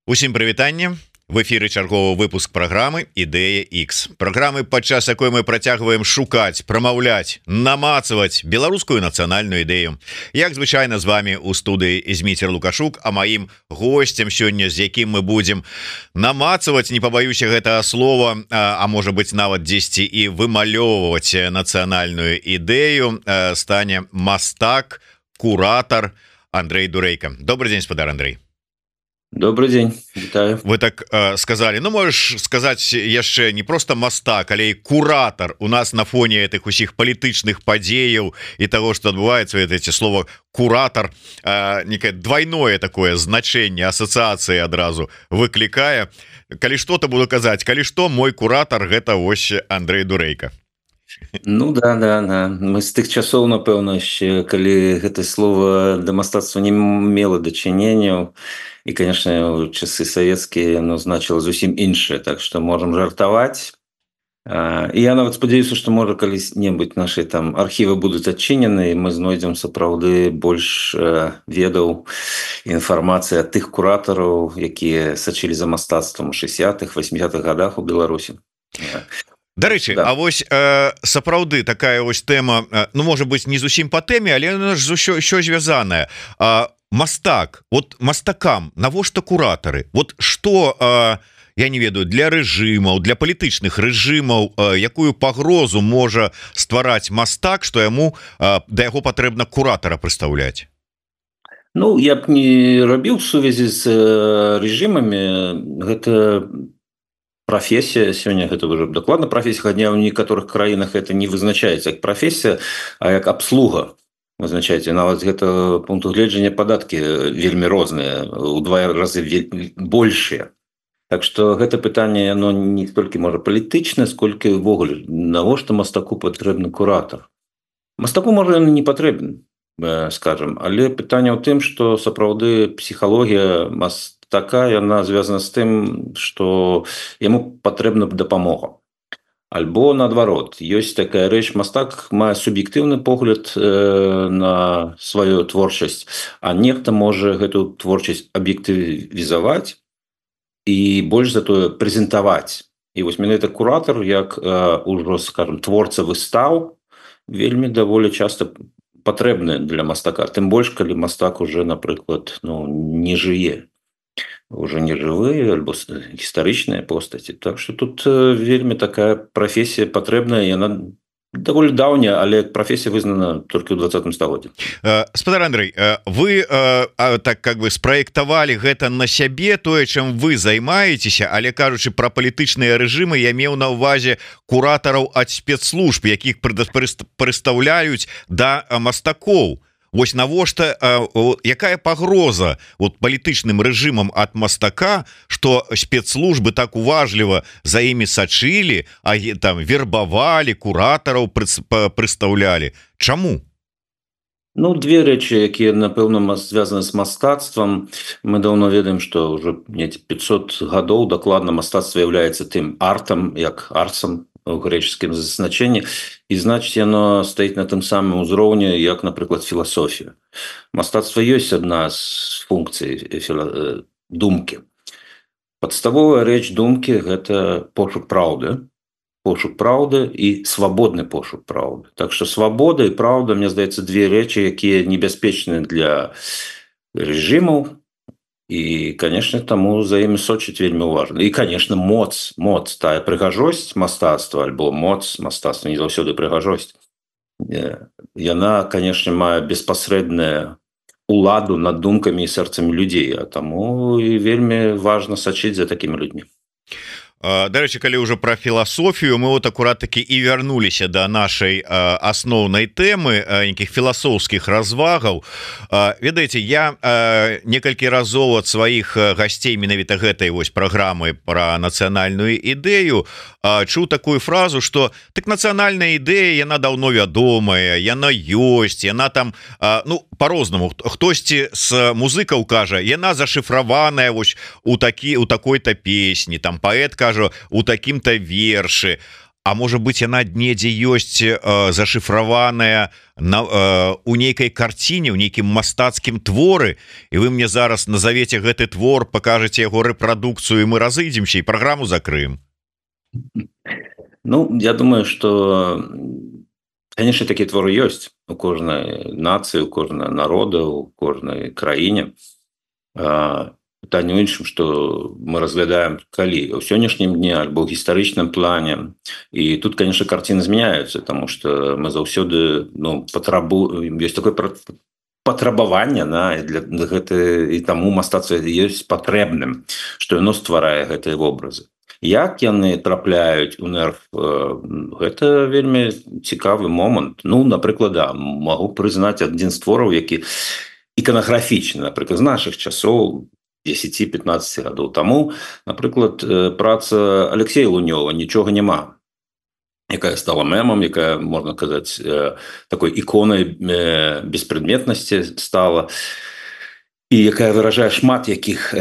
Усім прывітанне. В эфиры чарговы выпуск программы Ідэя X. Программы, падчас якой мы працягваем шукаць, прамаўляць, намацаваць беларускую нацыянальную ідэю. Як звычайна з вами у студыі Зміцер Лукашук, а маім гостцем сёння, з якім мы будзем намацаваць, не пабаюся гэтага слова, а можа быць нават дзесьці і вымалёўваць нацыянальную ідэю, стане мастак, куратор Андрей Дурейко. Добрый день, спадар Андрей. Добрый день, вітаю. Вы так сказали, ну можешь сказать яшчэ не просто мастак, але и куратор у нас на фоне этих усіх палітычных падзеяў и того, что адбываецца, эти слово куратор некое двойное такое значение, ассоциации адразу выклікае. Калі что-то буду казаць, калі что, мой куратор гэта ось Андрей Дурейко. Ну да, мы з тых часоў, напэўна, яшчэ калі гэта слово да мастацтва не мела дачыненняў, і, конечно, у часы савецкія яно значыла зусім іншае, так што можам жартаваць. І я нават спадзяюся, што можа калі-небудзь нашы там архівы будуць адчынены, і мы знойдзем сапраўды больш ведаў інфармацыі ад тых куратараў, якія сачылі за мастацтвам у 60-х, 80-х годах у Беларусі. Дарэчы, да. А вось сапраўды такая вось тэма, ну можа быць не зусім па тэме, але яна ж ўсё звязаная. Мастак, вот мастакам навошта куратары? Вот што, я не ведаю, для рэжымаў, для палітычных рэжымаў, якую пагрозу можа ствараць мастак, што яму да яго патрэбна куратара прыстаўляць? Ну, я б не рабіў сувязі з рэжымамі. Гэта прафесія сёння, гэта ўжо дакладна прафесія, хадня ў некаторых краінах это не вызначаецца як прафесія, а як абслуга. Вызначаеце, нават з гэтага пункту гледжання падаткі вельмі розныя, у 2 разы большыя. Так што гэта пытанне, яно не столькі можа палітычнае, сколькі ўвогуле, навошта мастаку патрэбны куратар? Мастаку можа ён не патрэбен, скажам, але пытанне ў тым, што сапраўды псіхалогія мастака, яна звязана з тым, што яму патрэбна дапамога. Альбо наадварот, ёсць такая рэч, мастак мае суб'ектыўны погляд на сваю творчасць, а нехта можа гэту творчасць аб'ектывізаваць і больш за тое прэзентаваць. І вось менавіта куратар, як ужо, скажам, творца выстаў, вельмі даволі часта патрэбны для мастака. Тым больш, калі мастак уже, напрыклад, не жые. Уже не жывыя альбо гістарычныя постаці. Так што тут вельмі такая прафесія патрэбная, яна даволі даўняя, але прафесія вызнана толькі ў 20 стагоддзі. Спадар Андрей, вы так как бы спраектавалі гэта на сябе, тое, чым вы займаецеся, але кажучы пра палітычныя рэжымы, я меў на ўвазе куратараў ад спецслужб, якіх прыстаўляюць да мастакоў. Вось навошта, якая пагроза вот палітычным рэжымам ад мастака, што спецслужбы так уважліва за імі сачылі, а там вербавалі, куратараў прыстаўлялі. Чаму? Ну, две рэчы, якія, напэўна, звязаны з мастацтвам. Мы даўно ведаем, што ўжо 500 гадоў дакладна мастацтва з'яўляецца тым артам, як арцам, у грэчаскім значэнні, і значыць яно стаіць на тым самым узроўні, як, напрыклад, філасофія. Мастацтва ёсць адна з функцый думкі. Падставовая рэч думкі – гэта пошук праўды. Пошук праўды і свабодны пошук праўды. Так што свабода і праўда, мне здаецца, две рэчы, якія небяспечныя для рэжымаў. І, конечно, таму за імі сочыць вельмі важна. І, конечно, моц, тая прыгажосць мастацтва, альбо моц мастацтва, не заўсёды прыгажосць, яна, конечно, мае беспасрэдную уладу над думкамі і сэрцамі людзей, а таму і вельмі важна сачыць за такімі людзьмі. Дарэчы, калі ўжо пра філасофію, мы вот акурат-такі і вярнуліся да нашай асноўнай тэмы, нейкіх філасофскіх развагаў. Ведаеце, я некалькі разоў ад сваіх гасцей менавіта гэтай вось праграмы пра нацыянальную ідэю чуў такую фразу, што так нацыянальная ідэя, яна даўно вядомая, яна ёсць, яна там, ну, по-рознаму. Хтосьці з музыкаў кажа, яна зашыфраваная вось у такой-то песні, там паэт кажа, у такім-то вершы. А можа быть яна недзе ёсць зашифраваная у нейкай карціне, у нейкім мастацкім творы, і вы мне зараз назовете гэты твор, покажете яго рэпрадукцыю, мы разыдземся і праграму закрыем. Ну, я думаю, что, конечно, такие творы есть у кожнай нации, у кожнага народа, у кожнай краіне. Пытанне ў іншым, што мы разглядаем калі ў сённяшнім дне альбо ў гістарычным плане. І тут, конечно, карціны змяняюцца, тому што мы заўсёды ёсць такое патрабаванне для гэта, і таму мастацтва ёсць патрэбным, што яно стварае гэтыя вобразы. Як яны трапляюць у нерв, гэта вельмі цікавы момант. Ну, напрыклад, магу прызнаць адзін з твораў, які іканаграфічны, напрыклад, з нашых часоў, 10-15 гадоў таму, напрыклад, праца Алексея Лунёва «Нічога няма», якая стала мемам, якая, можна казаць, такой іконай беспрадметнасці стала, і якая выражае шмат якіх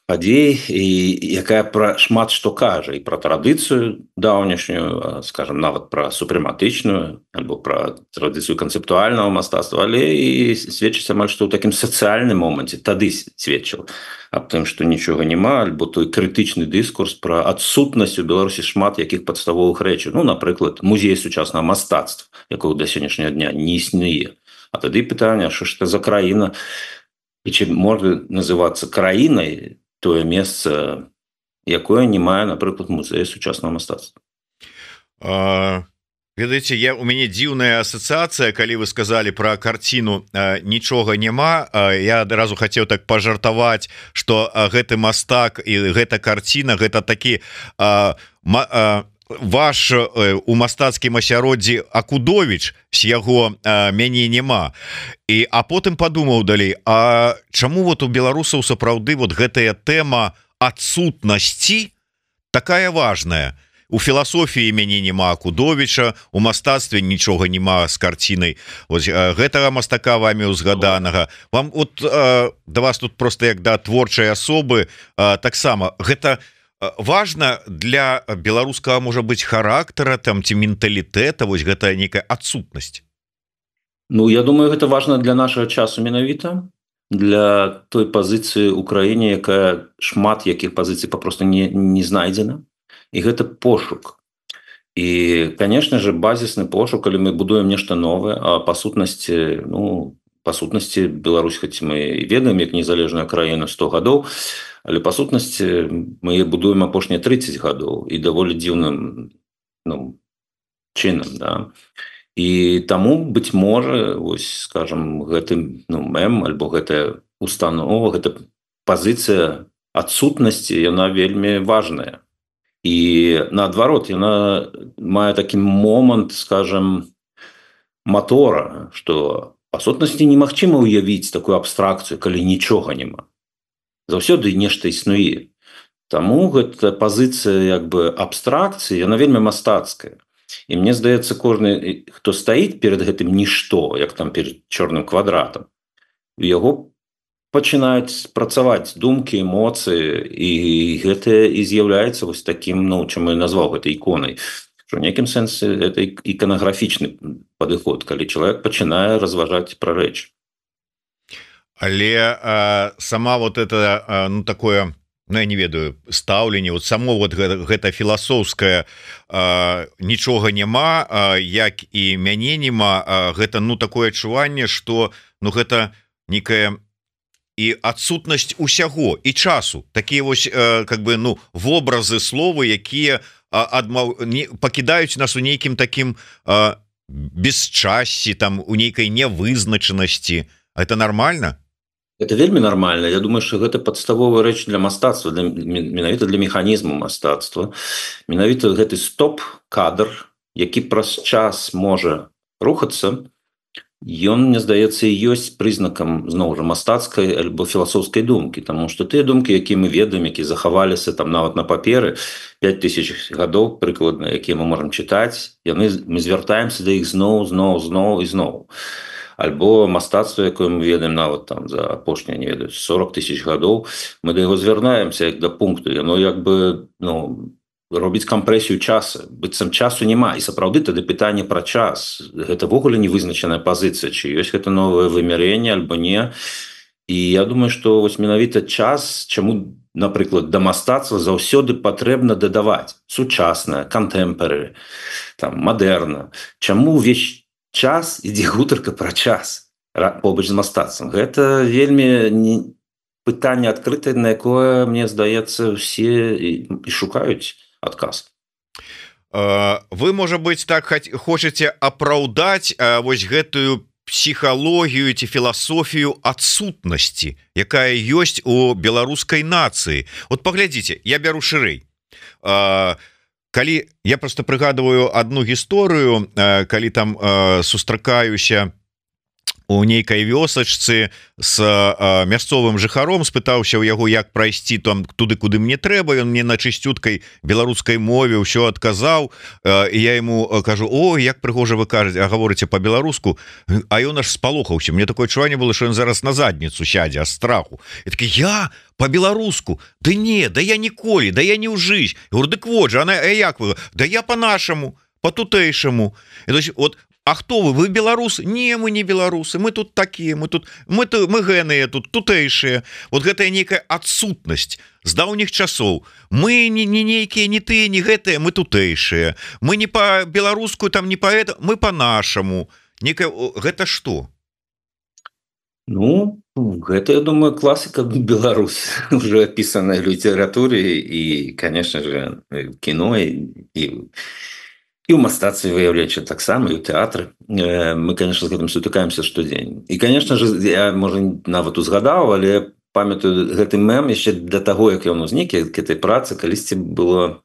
падзей, і якая пра шмат што кажа, і пра традыцыю даўнішнюю, скажем, нават пра супрэматычную, альбо пра традыцыю канцэптуальнага мастацтва, але і сведчыць амаль што ў такім сацыяльным моманце, тады сведчыў аб тым, што нічога няма, альбо той крытычны дыскурс пра адсутнасць у Беларусі шмат якіх падставовых рэчаў. Ну, напрыклад, музей сучаснага мастацтва, якога да сённяшняга дня не існуе. А тады пытанне, што ж гэта за краіна, і ці можа называцца краінай тое месца, якое не мае, напрыклад, музей сучаснага мастацтва. Ведаеце, у мяне дзіўная асацыяцыя, калі вы сказалі пра карціну «Нічога няма», я адразу хацеў так пажартаваць, што гэты мастак і гэта карціна, гэта такі ваш у мастацкім асяроддзі Акудовіч, з яго «Мяне няма». А потым падумаў далей, а чаму вот у беларусаў сапраўды вот гэтая тэма адсутнасці такая важная? У філасофіі «Мяне няма» Акудовіча, у мастацтве «Нічога няма» з карцінай гэтага мастака вамі узгаданага. Вам от да вас тут просто як да творчай асобы таксама гэта важна для беларускага, можа быць, характара там ці менталітэта, вось гэта нейкая адсутнасць? Ну, я думаю, гэта важна для нашага часу менавіта, для той пазіцыі ў краіне, якая шмат якіх пазіцый папросту не знайдзена. І гэта пошук. І, конечно же, базісны пошук, калі мы будуем нешта новае, а па сутнасці, Беларусь, хоць мы ведаем, як незалежная краіна 100 гадоў, але па сутнасці мы будуем апошнія 30 гадоў і даволі дзіўным чынам, да. І таму, быць можа, вось, скажем, гэты мем, альбо гэтая установа, гэта пазіцыя адсутнасці, яна вельмі важная. І наадварот, яна мае такі момант, скажем, матора, што па сутнасці немагчыма ўявіць такую абстракцыю, калі нічога няма. Заўсёды нешта існуе. Таму гэта пазіцыя як бы абстракцыі, яна вельмі мастацкая. І мне здаецца, кожны, хто стаіць перад гэтым нішто, як там перад чорным квадратам, у яго пачынаюць працаваць думкі, эмоцыі, і гэта і з'яўляецца вось такім, чым я назваў гэта іконай. Што ў нейкім сэнсе гэта іканаграфічны падыход, калі чалавек пачынае разважаць пра рэч. Але сама вот это, такое, я не ведаю, стаўленне, вот само вот гэта філасофскае «Нічога няма», як і «Мяне няма», гэта, такое адчуванне, што, гэта некая і адсутнасць усяго і часу, такія вось как бы вобразы словы, якія пакідаюць нас у нейкім такім бесчасці, там у нейкай нявызначанасці. Это нормально? Это вельмі нармальна. Я думаю, што гэта падставовая рэч для мастацтва, менавіта для механізму мастацтва. Менавіта гэты стоп-кадр, які праз час можа рухацца, ён, мне здаецца, і ёсць прызнакам, зноў жа, мастацкай альбо філасофскай думкі, таму што тыя думкі, якія мы ведаем, якія захаваліся там нават на паперы 5000 гадоў прыкладна, якія мы можам чытаць, мы звяртаемся да іх зноў і зноў. Альбо мастацтва, якое мы ведаем нават там за апошнія, не ведаю, 40 000 гадоў, мы да яго звярнаемся як да пункту, яно як бы, робіць кампрэсію часа, быццам часу няма, і сапраўды тады пытанне пра час, гэта ввогуле не вызначаная пазіцыя, ці ёсць гэта новае вымярэнне альбо не. І я думаю, што вось менавіта час, чаму, напрыклад, да мастацтва заўсёды патрэбна дадаваць сучаснае, контэмпорary, там, мадэрна. Чаму ўвесь час ідзе гутарка пра час побач з мастацтвам? Гэта вельмі пытанне адкрытае, на якое, мне здаецца, усе і шукаюць адказ. Вы, можа быць, так хочаце апраўдаць вось гэтую псіхалогію ці філасофію адсутнасці, якая ёсць у беларускай нацыі. Вот паглядзіце, я бяру шырэй. Калі я просто прыгадываю одну гісторыю, калі там сустракаюся у нейкай вёсачцы з мясцовым жыхаром, спытаўся ў яго, як прайсці там туды, куды мне трэба. Ён мне на чысцюткай беларускай мове ўсё адказаў, і я ему кажу: о, як прыгожа вы кажаце, а гаворыце по-беларуску. А ён аж спалохаўся. Мне такое адчуванне было, што ён зараз на задніцу сядзе ад страху. І такі: я по-беларуску? Да не, да я ніколі, да я не ў жыць. Говорю: дык вот же, а як вы? Да я по-нашаму, по-тутэйшаму. І то есть, вот, а хто вы? Вы беларусы? Не, мы не беларусы, мы тут такія, мы гэныя тут, тутэйшыя. Вот гэтая нейкая адсутнасць з даўніх часоў. Мы не нейкія, не тыя, не гэтыя, мы тутэйшыя. Мы не па-беларуску, там не па-гэта, мы па-нашаму. Гэта што? Ну, гэта, я думаю, класіка Беларусь, уже опісаная в літаратуры і, конечно же, кіно і ў мастацтве выяўленча таксама, і ў тэатры. Мы, конечно, з гэтым сутыкаемся штодзень. І, конечно же, я, можа, нават узгадаў, але памятаю гэты мем яшчэ да таго, як ён узнік, як этой працы, калісьці было,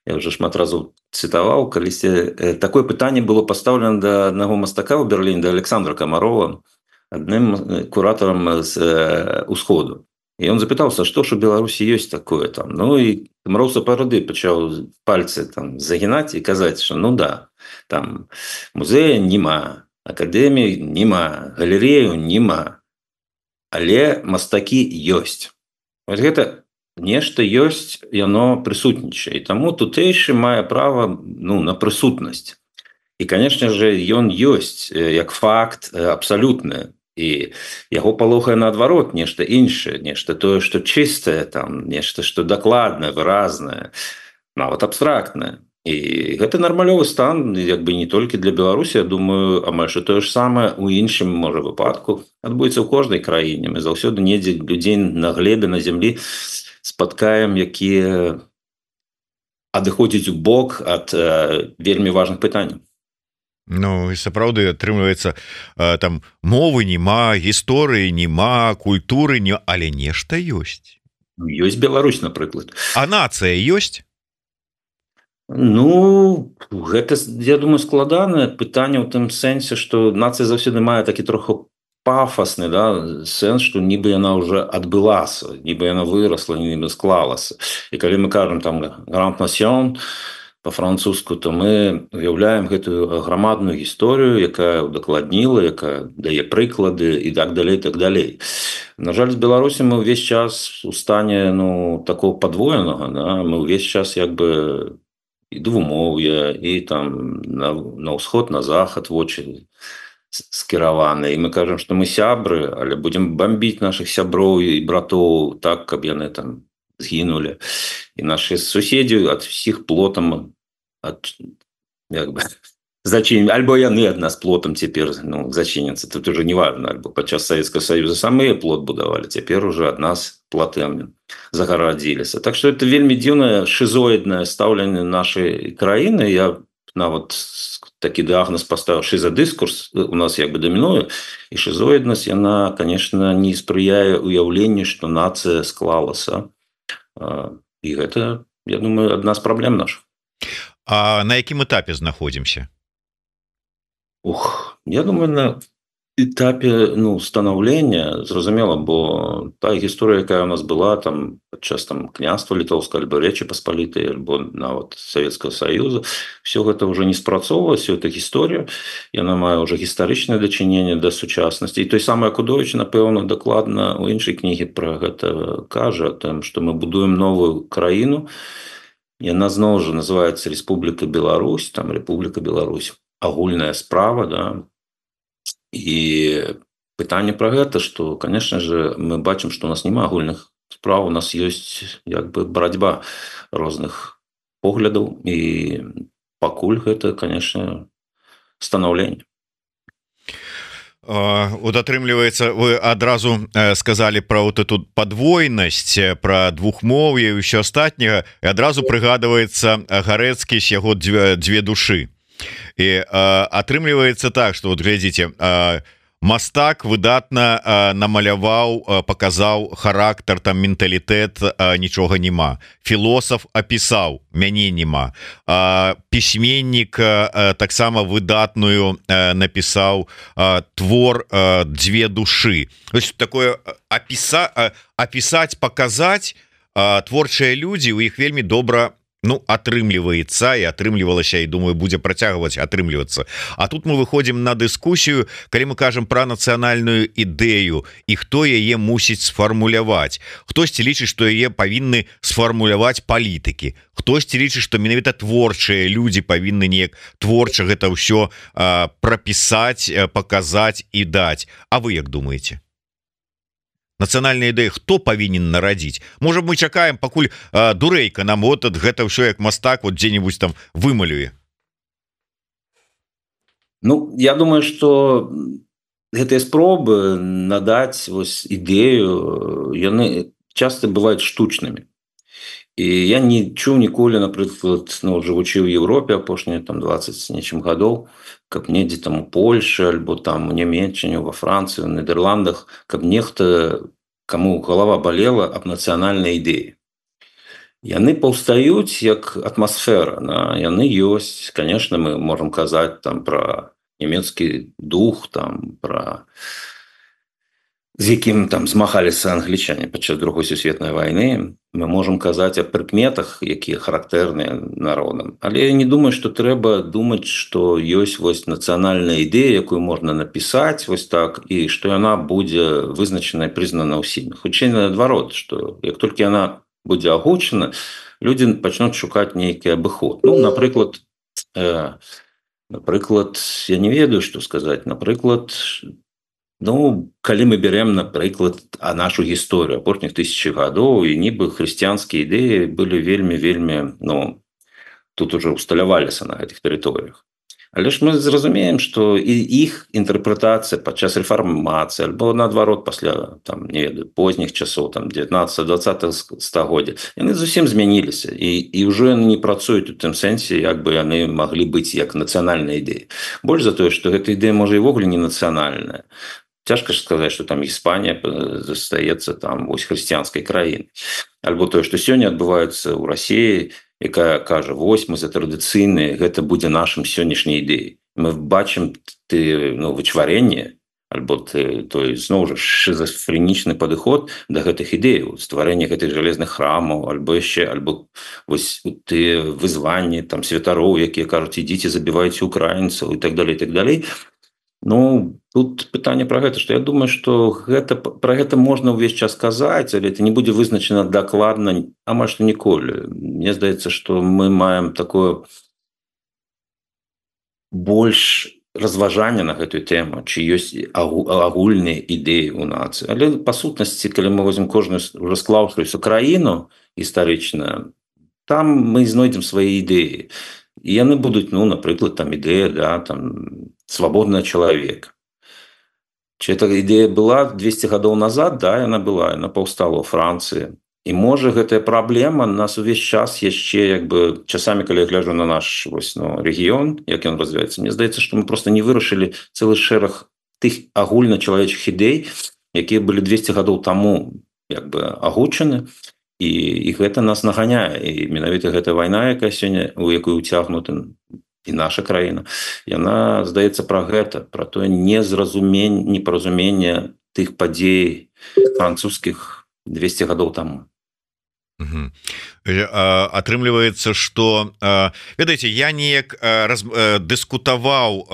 я уже шмат разоў цытаваў, калісьці такое пытанне было пастаўлена да аднаго мастака ў Берліне, да Александра Камарова, адным куратарам з Усходу. І ён запытаўся, што ж у Беларусі ёсць такое там. Ну і Камаров сапраўды пачаў пальцы там загінаць і казаць, што ну да, там музея няма, акадэміі няма, галерею няма, але мастакі ёсць. Вось гэта нешта ёсць, яно прысутнічае. І таму тутэйшы мае права, ну, на прысутнасць. І, конечно же, ён ёсць як факт абсалютны. І яго палохае наадварот нешта іншае, нешта тое, што чыстае, там, нешта, што дакладнае, выразнае, нават абстрактнае. І гэта нармалёвы стан, як бы не толькі для Беларусі, я думаю, амаль што тое ж самае у іншым, можа, выпадку адбудзецца ў кожнай краіне. Мы заўсёды недзе людзей на глебе, на зямлі спаткаем, якія адыходзяць у бок ад вельмі важных пытанняў. Ну, і сапраўды атрымліваецца, там мовы няма, гісторыі няма, культуры не, але нешта ёсць. Ёсць Беларусь, напрыклад. А нацыя ёсць? Ну, гэта, я думаю, складанае пытанне ў тым сэнсе, што нацыя заўсёды мае такі троху пафасны, да, сэнс, што нібы яна ўжо адбылася, нібы яна вырасла, нібы склалася. І калі мы кажам там «Grand Nation», по-французску, то мы уяўляем гэтую грамадную гісторыю, якая удакладніла, якая дае прыклады і так далей, так далей. На жаль, з Беларусі мы ўвесь час у стане, ну, такого падвоенага, да? Мы ўвесь час як бы і двумоўя, і там на ўсход, на захад вочы скіраваны. І мы кажам, што мы сябры, але будзем бамбіць нашых сяброў і братоў так, каб яны там згінулі. І нашы суседзі ад усіх плотам зачынены, альбо яны ад нас плотам цяпер, ну, зачыняцца. Тут уже не важно, альбо падчас Савецкага Саюза самыя плот будавалі, цяпер уже ад нас платы загарадзіліся. Так што это вельмі дзіўнае шизоіднае стаўленне нашай краіны. Я нават такі дыягназ паставіў шизадыскурс, у нас як бы дамінуе, і шизоіднасць, яна, конечно, не спрыяе уяўленню, што нацыя склалася. І гэта, я думаю, адна з праблем нашых. А на якім этапе знаходзімся? Я думаю, на этапе, ну, станаўлення, зразумела, бо та гісторыя, якая у нас была там падчас там княства літоўскага альбо Рэчы Паспалітай, альбо нават Савецкага Саюза, все гэта ўжо не спрацоўвалася, эта гісторыя, яна мае ўжо гістарычнае дачыненне да сучаснасці. І той самы Акудовіч, напэўна, дакладна у іншай кнігі пра гэта кажа, там, што мы будуем новую краіну, яна зноў жа называется Республика Беларусь, там Республика Беларусь агульная справа, да, і пытанне пра гэта, што конечно же мы бачым, што у нас няма агульных справ, у нас ёсць як бы барацьба розных поглядаў, і пакуль гэта конечно станаўленне. Вот атрымліваецца, вы адразу сказалі про вот эту падвойнасць, про двухмоўе і ўсё астатняга, і адразу прыгадваецца Гарэцкі з яго две душы. І атрымліваецца так, што вот глядзіце, мастак выдатна намаляваў, паказаў характар, там менталітэт, нічога няма. Філосаф апісаў, мяне няма. Пісьменнік таксама выдатную напісаў твор «Две души». Такое апісаць, паказаць, творчыя людзі, у іх вельмі добра атрымліваецца і атрымлівалася, і думаю, будзе працягваць атрымлівацца. А тут мы выходзім на дыскусію, калі мы кажам пра нацыянальную ідэю і хто яе мусіць сфармуляваць. Хтосьці лічыць, што яе павінны сфармуляваць палітыкі. Хтосьці лічыць, што менавіта творчыя людзі павінны неяк творча гэта ўсё прапісаць, паказаць і даць. А вы як думаеце? Нацыянальная ідэя хто павінен нарадзіць? Можа, мы чакаем, пакуль дурэйка нам вот гэта ўсё як мастак вот дзе-нибудь там вымалюе? Я думаю, што гэтыя спробы надаць вось ідэю, яны часта бываюць штучнымі. І я не чуў ніколі, напрыклад, жывучы ў Еўропе апошнія там 20 з нечым гадоў, каб недзе там у Польшы альбо там у Нямецчыне, ва Францыі, у Нідерландах, каб нехта, каму галава балела аб нацыянальнай ідэі. Яны паўстаюць як атмасфера, яны ёсць. Конечно, мы можам казаць там пра нямецкі дух, там пра з якім там змагаліся англічане падчас Другой сусветнай вайны. Мы можам казаць аб прыкметах, якія характэрныя народам. Але я не думаю, што трэба думаць, што ёсць вось нацыянальная ідэя, якую можна напісаць вось так, і што яна будзе вызначана і прызнана ўсімі. Хутчэй наадварот, што як толькі яна будзе агучана, людзі пачнуць шукаць нейкі абыход. Напрыклад, я не ведаю, што сказаць. Напрыклад, калі мы берем, напрыклад, нашу гісторыю апошніх 1000 гадоў, і нібы хрысціянскія ідэі былі вельмі, тут уже усталяваліся на гэтых тэрыторыях. Але ж мы зразумеем, што і іх інтэрпрэтацыя падчас рэфармацыі, альбо наадварот пасля там, не ведаю, позніх часоў, там 19-20 стагоддзя, яны зусім змяніліся, і ўжо яны не працуюць у тым сэнсе, як бы яны маглі быць як нацыянальная ідэя. Больш за тое, што гэта ідэя можа івогуле не нацыянальная. Цяжка ж сказаць, што там Іспанія застаецца там вось хрысціянскай краінай. Альбо тое, што сёння адбываецца ў Расіі, якая кажа, вось мы за традыцыйныя, гэта будзе нашым сённяшняй ідэяй. Мы бачым вычварэнне, альбо той зноў жа шизофренічны падыход да гэтых ідэяў, стварэнне гэтых жалезных храмаў, альбо яшчэ, альбо вось тыя вызванні там святароў, якія кажуць, ідзіце забівайце украінцаў і так далей, і так далей. Тут пытанне пра гэта, што я думаю, што пра гэта можна ўвесь час казаць, але это не будзе вызначана дакладна, амаль што ніколі. Мне здаецца, што мы маем такое больш разважання на гэтую тэму, ці ёсць агульныя ідэі ў нацыі. Але па сутнасці, калі мы возьмем кожную ўжо склаўшуюся краіну гістарычна, там мы знойдзем свае ідэі. І яны будуць, напрыклад, там ідэя, там свабодны чалавек. Ці эта ідэя была 200 гадоў назад? Да, яна была, яна паўстала ў Францыі. І можа гэтая праблема нас увесь час яшчэ часамі, калі я гляджу на наш рэгіён, як ён развіваецца, мне здаецца, што мы проста не вырашылі цэлы шэраг тых агульначалавечых ідэй, якія былі 200 гадоў таму агучаны, і гэта нас наганяе. І менавіта гэта вайна, якая сёння, у якую ўцягнута і наша краіна, яна, здаецца, пра гэта, пра тое непаразуменне тых падзей французскіх 200 гадоў таму. Атрымліваецца, что ведаеце, я неяк дыскутаваў,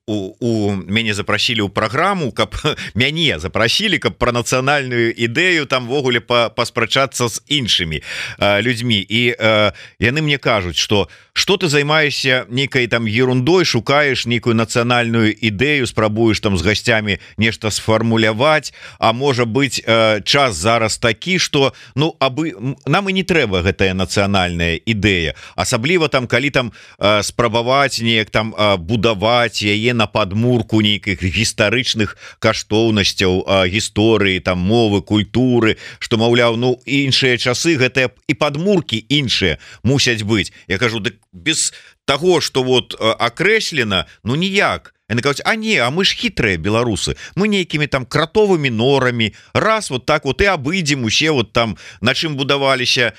у мяне запрасілі ў праграму, каб мяне запрасілі, каб пра нацыянальную ідэю там ввогуле паспрачацца з іншымі людзьмі, і яны мне кажуць, что ты займаешься нейкай там ерундой, шукаеш нейкую нацыянальную ідэю, спрабуеш там з гасцямі нешта сфармуляваць, а можа быць час зараз такі, что ну абы нам і не трэба гэтая нацыянальная ідэя, асабліва там калі там спрабаваць неяк там будаваць яе на падмурку нейкіх гістарычных каштоўнасцяў гісторыі, там мовы, культуры, што маўляў, ну іншыя часы гэтыя і падмуркі іншыя мусяць быць. Я кажу, дык без того, что вот акрэслена, ну ніяк. Яны кажуць, а не, а мы ж хітрыя беларусы, мы нейкімі там кратовымі норамі раз вот так вот і абыдзем усе вот там, на чым будаваліся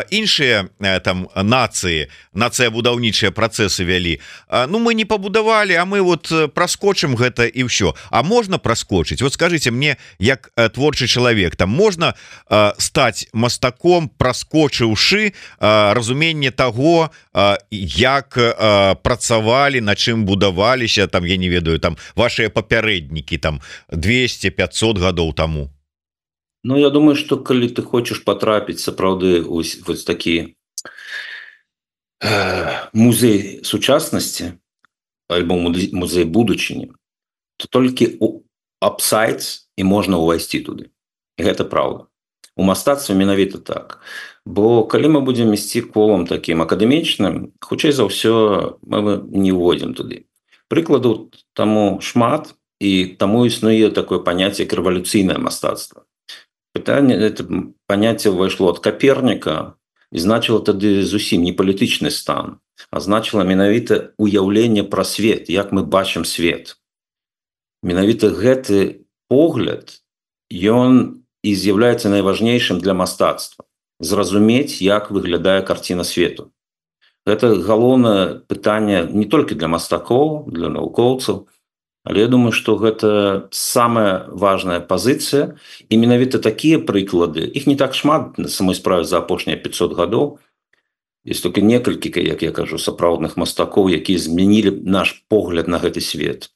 іншыя там нацыі, нацыя-будаўнічыя працэсы вялі. Ну мы не пабудавалі, а мы вот праскочым гэта і ўсё. А можна праскочыць? Вот скажите мне, як творчы чалавек, там можна стаць мастаком, праскочыўшы разуменне таго, як працавалі, на чым будаваліся, там я не ведаю, там ваши папярэднікі там 200-500 гадоў таму. Ну, я думаю, что калі ты хочаш потрапіць сапраўды вось такі музей сучаснасці альбо музей будучыні, то толькі у апсайт і можна ўвайсці туды. І гэта праўда. У мастацтве менавіта так. Бо калі мы будзем ісці колам такім акадэмічным, хутчэй за ўсё мы не ўводзім туды. Прыкладаў таму шмат, і таму існуе такое паняцце, як рэвалюцыйнае мастацтва. Пытанне, это паняцце ўвайшло ад Каперніка і значыла тады зусім не палітычны стан, а значыла менавіта уяўленне пра свет, як мы бачым свет. Менавіта гэты погляд, ён і з'яўляецца найважнейшым для мастацтва. Зразумець, як выглядае карціна свету. Гэта галоўнае пытанне не толькі для мастакоў, для навукоўцаў, але я думаю, што гэта самая важная пазіцыя, і менавіта такія прыклады, іх не так шмат на самой справе за апошнія 500 гадоў, ёсць толькі некалькі, як я кажу, сапраўдных мастакоў, якія змянілі наш погляд на гэты свет.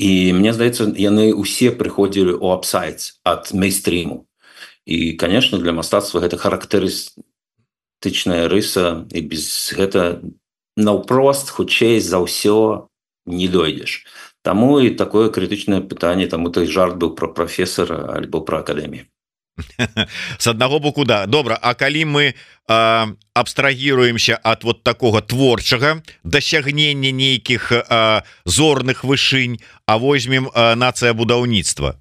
І мне здаецца, яны ўсе прыходзілі ў апсайт ад мейнстріму. І, конечно, для мастацтва гэта характарыстычная рыса, і без гэта наўпрост, хутчэй за ўсё не дойдзеш. Таму і такое крытычнае пытанне, таму той жарт быў пра прафесара альбо пра акадэмію. С аднаго боку, да. Добра, а калі мы абстрагіруемся ад вот такога творчага дасягнення нейкіх зорных вышынь, а возьмем нацыя-будаўніцтва,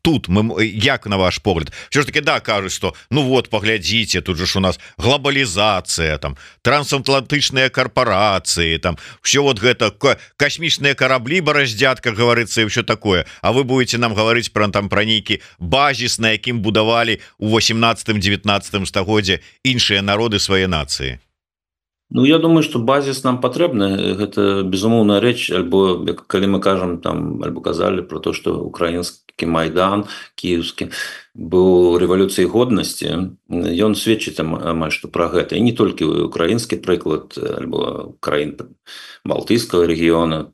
тут мы, як на ваш погляд, все ж таки, да, кажуць, что ну вот поглядзіце, тут же ж у нас глобалізацыя, там трансатлантычныя корпорации, там все вот гэта космічныя караблі бараздзят, как говорится, и все такое, а вы будете нам говорить про там про нейкі базис, на якім будавалі у 18-19 стагоддзе іншыя народы свае нацыі. Ну, я думаю, что базис нам патрэбны, гэта безумоўная рэч, альбо калі мы кажам там, альбо казалі про то, что украінскі майдан кіеўскі быў рэвалюцыяй годнасці, ён сведчыць амаль што пра гэта, і не толькі украінскі прыклад, альбо краін балтыйскага рэгіёна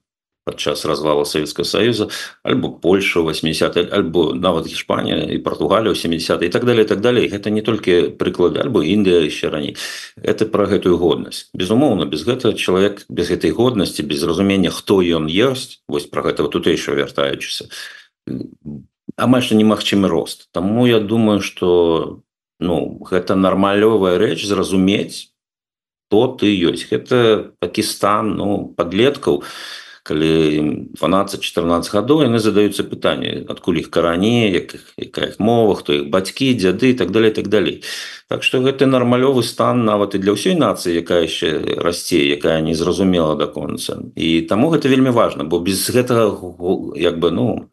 падчас развала Савецкага Саюза, альбо Польша ў 80-е, альбо нават Іспанія і Партугалія ў 70-е, і так далее, і так далее. Гэта не толькі прыклады, альбо Індыя яшчэ раней. Это пра гэтую годнасць. Безумоўна, без гэтага чалавек, без гэтай годнасці, без разумення, хто ён ёсць, вось пра гэта тутэйшае вяртаючыся, амаль што немагчымы рост. Таму я думаю, што ну, гэта нармалёвая рэч зразумець, хто ты ёсць. Гэта такі стан, ну, падлеткаў, калі 12-14 гадоў, яны задаюцца пытанне, адкуль іх карані, якая іх мова, хто іх бацькі, дзяды, і так далее, і так далей. Так што гэта нармалёвы стан нават і для ўсёй нацыі, якая яшчэ расце, якая не зразумела да конца. І таму гэта вельмі важна, бо без гэтага, як бы, ну,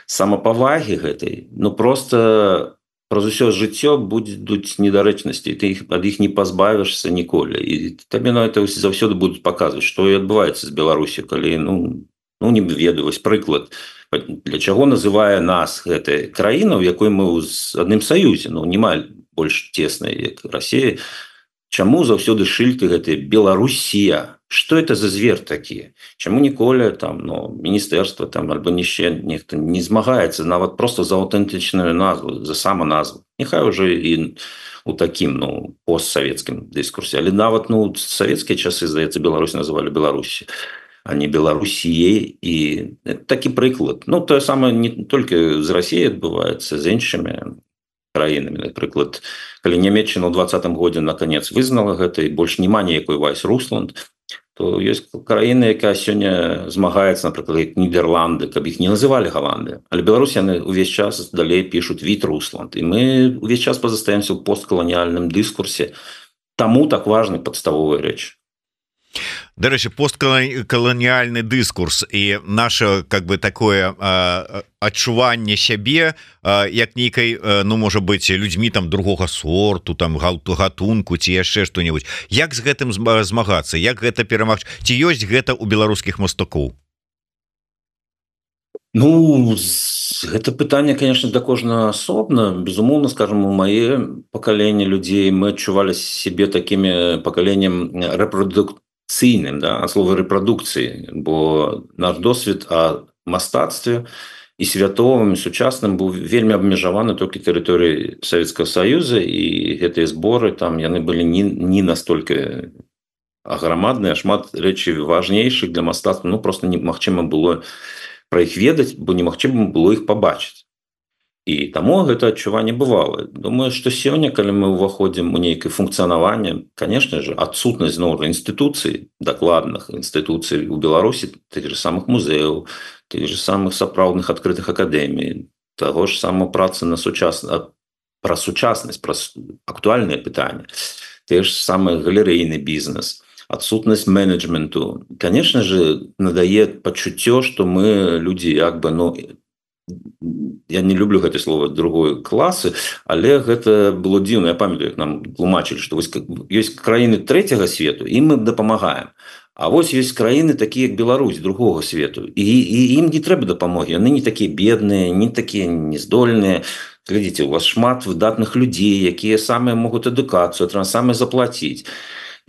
самапавагі гэтай, ну, проста праз усё жыццё будуць недарэчнасці, ты ад іх не пазбавішся ніколі. І табе на это заўсёды будуць паказваць, што і адбываецца з Беларусі, калі, ну не ведаю, вось прыклад, для чаго называе нас гэтая краіна, у якой мы ў адным саюзе, ну, няма больш цеснай як Расія. Чаму заўсёды шыльты гэтыя Беларусія? Что это за звер такі? Чаму ніколі там міністэрства там альбо яшчэ нехта не змагаецца нават просто за аўтэнтычную назву, за саманазву? Няхай уже і у такім постсавецкім дыскурсе, але нават савецкія часы, здаецца, Беларусь называлі Беларусі, а не Беларусіей. І такі прыклад. Тое самае не толькі з Расіяй адбываецца, з іншымі краінамі. Напрыклад, калі Нямецчына ў 2020 годзе наконец вызнала гэта і больш няма ніякой Вайс-Русланд, то ёсць краіны, якая сёння змагаецца, напрыклад, як Нідерланды, каб іх не называлі Галандыя. Але Беларусь яны ўвесь час далей пішуць Віт-Русланд. І мы ўвесь час пазастаемся ў посткаланіяльным дыскурсе. Таму так важны падставовыя рэчы. Дарэчы, посткаланіяльны дыскурс і наше такое адчуванне сябе як нейкай, можа быць, людзьмі там другога сорту, там гатунку ці яшчэ што-небудзь. Як з гэтым змагацца? Як гэта перамагчы? Ці ёсць гэта ў беларускіх мастакоў? Гэта пытанне, конечно, да кожнага асобна. Безумоўна, скажем, у мае пакаленне людзей мы адчувалі сябе такімі пакаленнем рэпрадукцыйным, ад слова рэпрадукцыі, бо наш досвед о мастацтве і святовым, і сучасным быў вельмі абмежаваны толькі тэрыторыяй Савецкага Саюза, і гэтыя зборы там яны былі не настолькі аграмадныя, шмат рэчаў важнейшых для мастацтва, просто немагчыма было пра іх ведаць, бо немагчыма было іх пабачыць. І таму гэта адчуванне бывала. Думаю, што сёння, калі мы ўваходзім у нейкае функцыянаванне, конечно же, адсутнасць зноў інстытуцый, дакладных інстытуцый у Беларусі, тых же самых музеяў, тых же самых сапраўдных адкрытых акадэмій, таго ж самого працы на пра сучаснасць, пра актуальныя пытанні, тыя ж самы галерэйны бізнес, адсутнасць менеджменту, конечно же, надае пачуццё, што мы людзі я не люблю гэта слово другой класы, але гэта было дзіўна. Я памятаю, як нам тлумачылі, што ёсць краіны трэцяга свету, ім мы дапамагаем. А вось ёсць краіны такія, як Беларусь, другога свету, і ім не трэба дапамогі. Яны не такія бедныя, не такія нездольныя. Глядзіце, у вас шмат выдатных людзей, якія самыя могуць адукацыю, самыя заплаціць.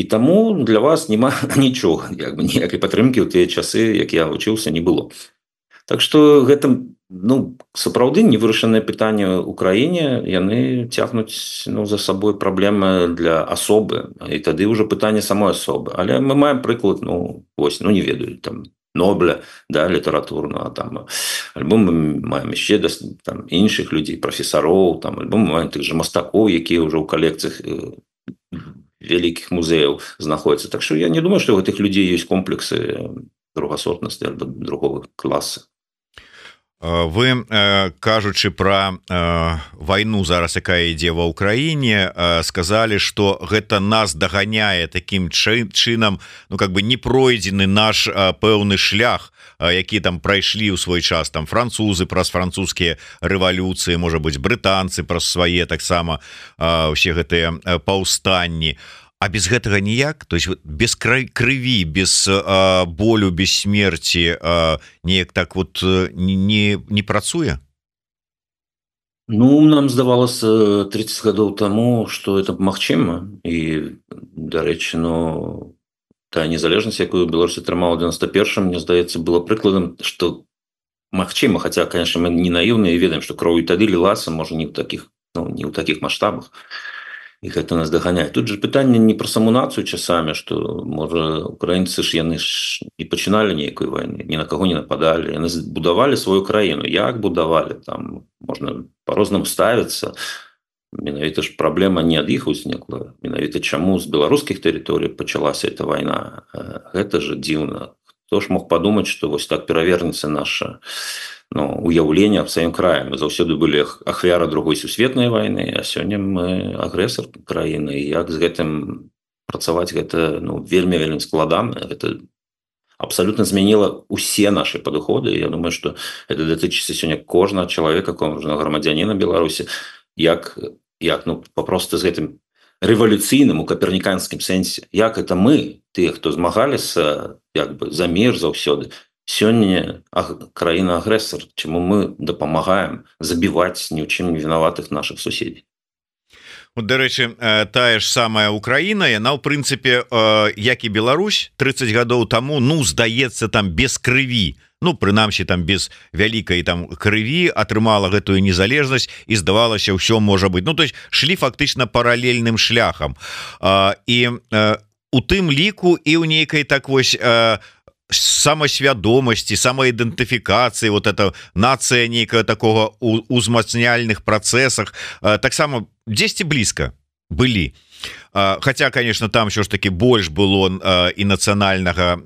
І таму для вас няма нічога, ніякай падтрымкі ў тыя часы, як я вучыўся, не было. Так што гэта сапраўды невырашаныя пытанні ў краіне, яны цягнуць за сабой праблемы для асобы, і тады ўжо пытанне самой асобы. Але мы маем прыклад, не ведаю, там Нобля, літаратурного, альбо мы маем яшчэ іншых людзей, прафесароў, альбо мы маем тых же мастакоў, якія ўжо ў калекцыях вялікіх музеяў знаходзяцца. Так што я не думаю, што у гэтых людзей ёсць комплексы другасортнасці альбо другого класа. Вы, кажучы пра вайну зараз, якая ідзе ва ўкраіне, сказалі, што гэта нас даганяе такім чынам, не пройдзены наш пэўны шлях, які там прайшлі ў свой час, там французы праз французскія рэвалюцыі, можа быць, брытанцы праз свае таксама ўсе гэтыя паўстанні. А без гэтага ніяк? То есть без крыві, без болю, без смерці неяк так не працуе? Нам здавалася 30 гадоў таму, што это магчыма. І, дарэчы, тая незалежнасць, якую Беларусь атрымала ў 91-м, мне здаецца, было прыкладам, што магчыма, хаця, конечно, мы не наіўныя і ведаем, што кроў і тады лілася, можа, не ў такіх маштабах. І гэта нас даганяе. Тут же пытанне не пра саму нацыю часамі, што, можа, украінцы яны не пачыналі нейкай вайны, ні на каго не нападалі, яны будавалі сваю краіну. Як будавалі? Там можна па-рознаму ставіцца. Менавіта ж праблема не ад іх узнікла. Менавіта чаму з беларускіх тэрыторый пачалася эта вайна. Гэта ж дзіўна. Хто ж мог падумаць, што вось так перавернецца наша уяўленне аб сваім краі. Мы заўсёды былі ахвяра другой сусветнай вайны, а сёння мы агрэсар краіны. І як з гэтым працаваць, гэта вельмі складана. Гэта абсалютна змяніла усе нашы падыходы. Я думаю, што гэта датычыцца сёння кожнага чалавека, кожнага грамадзяніна Беларусі, як папросту з гэтым рэвалюцыйным у каперніканскім сэнсе. Як это мы, тыя, хто змагаліся за мір заўсёды, сёння краіна-агрэсар, чаму мы дапамагаем забіваць ні ў чым не вінаватых нашых суседзей. Дарэчы, тая ж самая Украіна, яна ў прынцыпе як і Беларусь 30 гадоў таму, ну здаецца, там без крыві, ну прынамсі там без вялікай там крыві атрымала гэтую незалежнасць і здавалася, ўсё можа быць, ну то есть шлі фактычна паралельным шляхам, і у тым ліку і ў нейкай так вось самасвядомасці, самаідэнтыфікацыі, вот это нацыя нейкая такого узмацняльных працэсах таксама дзесьці блізка былі. Хаця, конечно, там що ж таки больш было і нацыянальнага,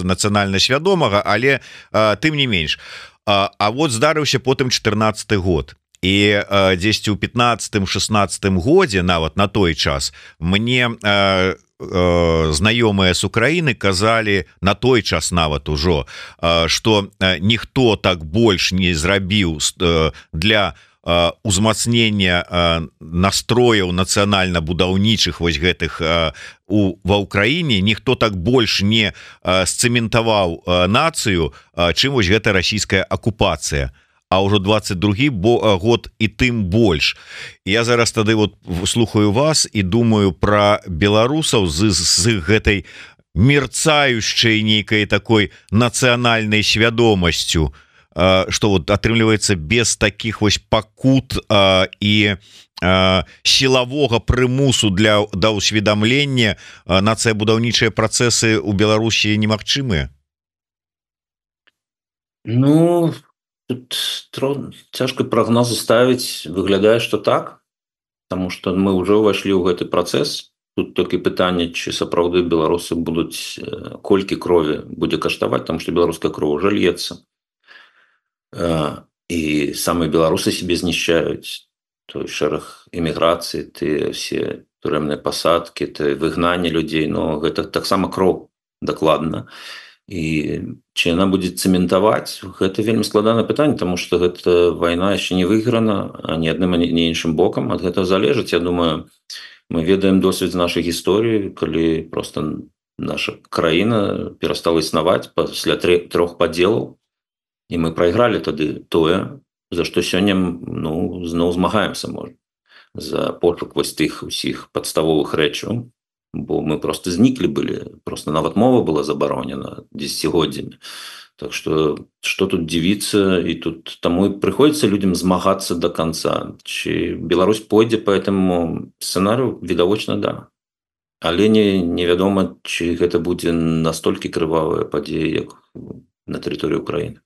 нацыянальна свядомага, але тым не менш. А вот здарыўся потым 14 год. І дзесьці ў 15-16 годзе, нават на той час, мне знаёмыя з Украіны казалі на той час нават ужо, што ніхто так больш не зрабіў для узмацнення настрояў нацыянальна-будаўнічых вось гэтых ва ўкраіне, ніхто так больш не сцэментаваў нацыю, чым вось гэта расійская акупацыя. А ўжо 22 год і тым больш. Я зараз тады вот слухаю вас і думаю пра беларусаў з гэтай мерцающей нейкай такой нацыянальнай свядомасцю, што вот атрымліваецца без таких вось пакут і сілавога прымусу да ўсведамлення нацыябудаўнічыя працэсы ў Беларусі немагчымыя. Ну, тут цяжка прагнозы ставіць, выглядае, што так, таму што мы ўжо ўвайшлі ў гэты працэс. Тут толькі пытанне, ці сапраўды беларусы будуць, колькі крові будзе каштаваць, таму што беларуская кроў ужо льецца. І самыя беларусы себе знішчаюць, той шэраг эміграцыі, тыя все турэмныя пасадкі, ты выгнанне людзей, но гэта таксама кроў, дакладна. І ці яна будзе цэментаваць, гэта вельмі складанае пытанне, таму што гэта вайна яшчэ не выйграна ні адным, ні іншым бокам. Ад гэтага залежыць, я думаю, мы ведаем досвед з нашай гісторыі, калі проста наша краіна перастала існаваць пасля 3 падзелаў, і мы прайгралі тады тое, за што сёння, ну, зноў змагаемся, можа, за пошук вось тых усіх падставовых рэчаў. Бо мы просто зніклі былі, просто нават мова была забаронена дзесяцігоддзямі. Так што тут дзівіцца, і тут таму і прыходзіцца людзям змагацца до конца. Ці Беларусь пойдзе по этому сцэнарыю? Відавочна, да. Але невядома, ці гэта будзе настолькі крывавая падзея, як на тэрыторыі Украіны.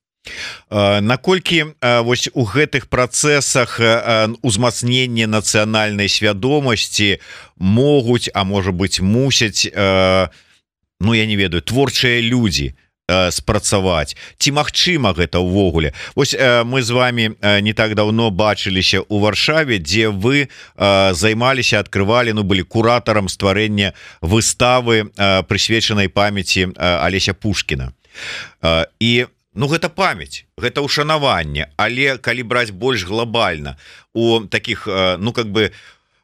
Наколькі вось у гэтых працэсах узмацнення нацыянальнай свядомасці могуць, а можа быць мусяць, ну я не ведаю, творчыя людзі спрацаваць, ці магчыма гэта ўвогуле? Вось мы з вами не так давно бачыліся ў Варшаве, дзе вы займаліся, адкрывалі, ну былі куратарам стварэння выставы, прысвечанай памяці Алеся Пушкіна. І ну гэта памяць, гэта ушанаванне, але калі браць больш глобальна у таких, ну как бы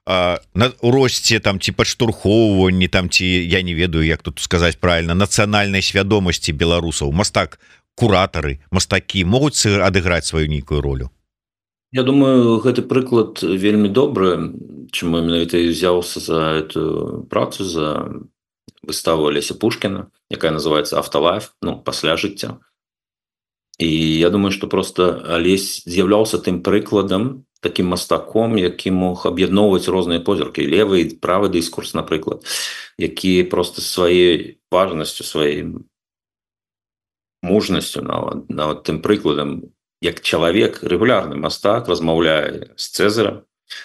на росце там ці падштурхоўванні там, ці я не ведаю, як тут сказаць правильно, нацыянальнай свядомасці беларусаў, мастак, куратары, мастакі могуць адыграць сваю нейкую ролю? Я думаю, гэты прыклад вельмі добры, чаму менавіта і ўзяўся за эту працу, за выставу Алеся Пушкіна, якая называецца «Afterlife», ну, пасля жыцця. І я думаю, што просто Алесь з'яўляўся тым прыкладам, таким мастаком, які мог аб'ядноўваць розныя позіркі, левы і правы дыскурс, напрыклад, які просто сваёй важнасцю, сваёй мужнасцю, нават тым прыкладам, як чалавек, рэгулярны мастак, размаўляе з Цэзарам,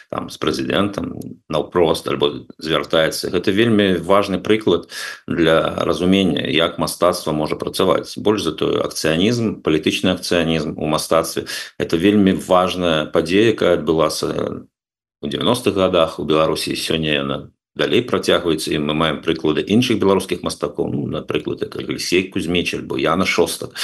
там, з прэзідэнтам, наўпрост, альбо звяртаецца. Гэта вельмі важны прыклад для разумення, як мастацтва можа працаваць. Больш за тое, акцыянізм, палітычны акцыянізм у мастацтве – гэта вельмі важная падзея, якая адбылася ў 90-х гадах у Беларусі. Сёння яна далей працягваецца, і мы маем прыклады іншых беларускіх мастакоў, ну, напрыклад, як Алексей Кузьміч, альбо Яна Шостак,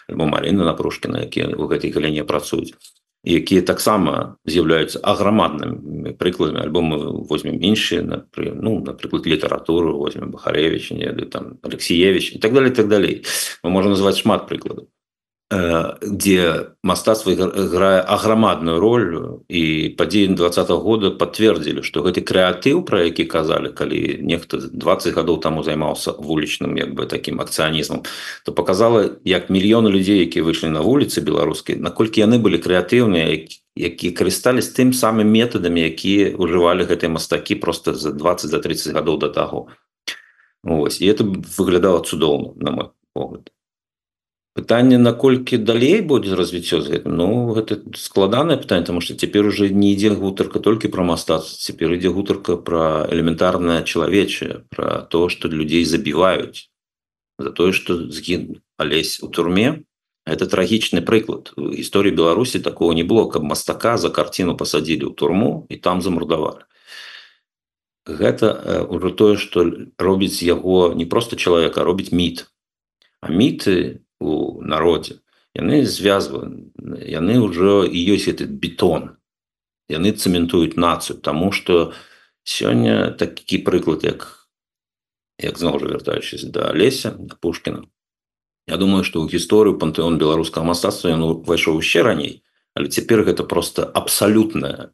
альбо Марина Напрушкіна, якія ў гэтай галіне працуюць, якія таксама з'яўляюцца аграмаднымі прыкладамі, альбо мы возьмем іншыя, ну, напрыклад, літаратуру, возьмем Бахаревич, там, Алексеевич, і так далей, і так далей. Мы можам назваць шмат прыкладаў. где мастацтва играе аграмадную роль, і падзеі 20-го года подтвердзілі, што гэты крэатыў, пра які казалі, калі нехта 20 гадоў таму займаўся вулічным як бы таким акцыянізмам, то показала, як мільёны людзей, якія выйшлі на вуліцы беларускія, наколькі яны былі крэатыўныя, якія карыстались тым самым метадамі, якія ўжывалі гэтыя мастакі просто за 20-30 гадоў до таго. Ось. І это выглядала цудоўна, на мой погляд. Пытанне, наколькі далей будзе развіццё з гэтым, ну гэта складанае пытанне, тому што цяпер уже не ідзе гутарка толькі пра мастацтва, цяпер ідзе гутарка пра элементарнае чалавечае, пра то, што людзей забіваюць за тое, што згінуў Алесь у турме. Это трагічны прыклад. У гісторыі Беларусі такого не было, каб мастака за карціну пасадзілі ў турму і там замурдавалі. Гэта ўжо тое, што робіць яго не проста чалавека, а робіць міт. А міты у народзе, яны звязваны, яны ўжо і ёсць этот бетон. Яны цэментуюць нацыю, таму што сёння такі прыклад, як зноў жа вяртаючыся да Алеся, да Пушкіна. Я думаю, што ў гісторыю пантэон беларускага мастацтва ён увайшоў яшчэ раней, але цяпер гэта проста абсалютная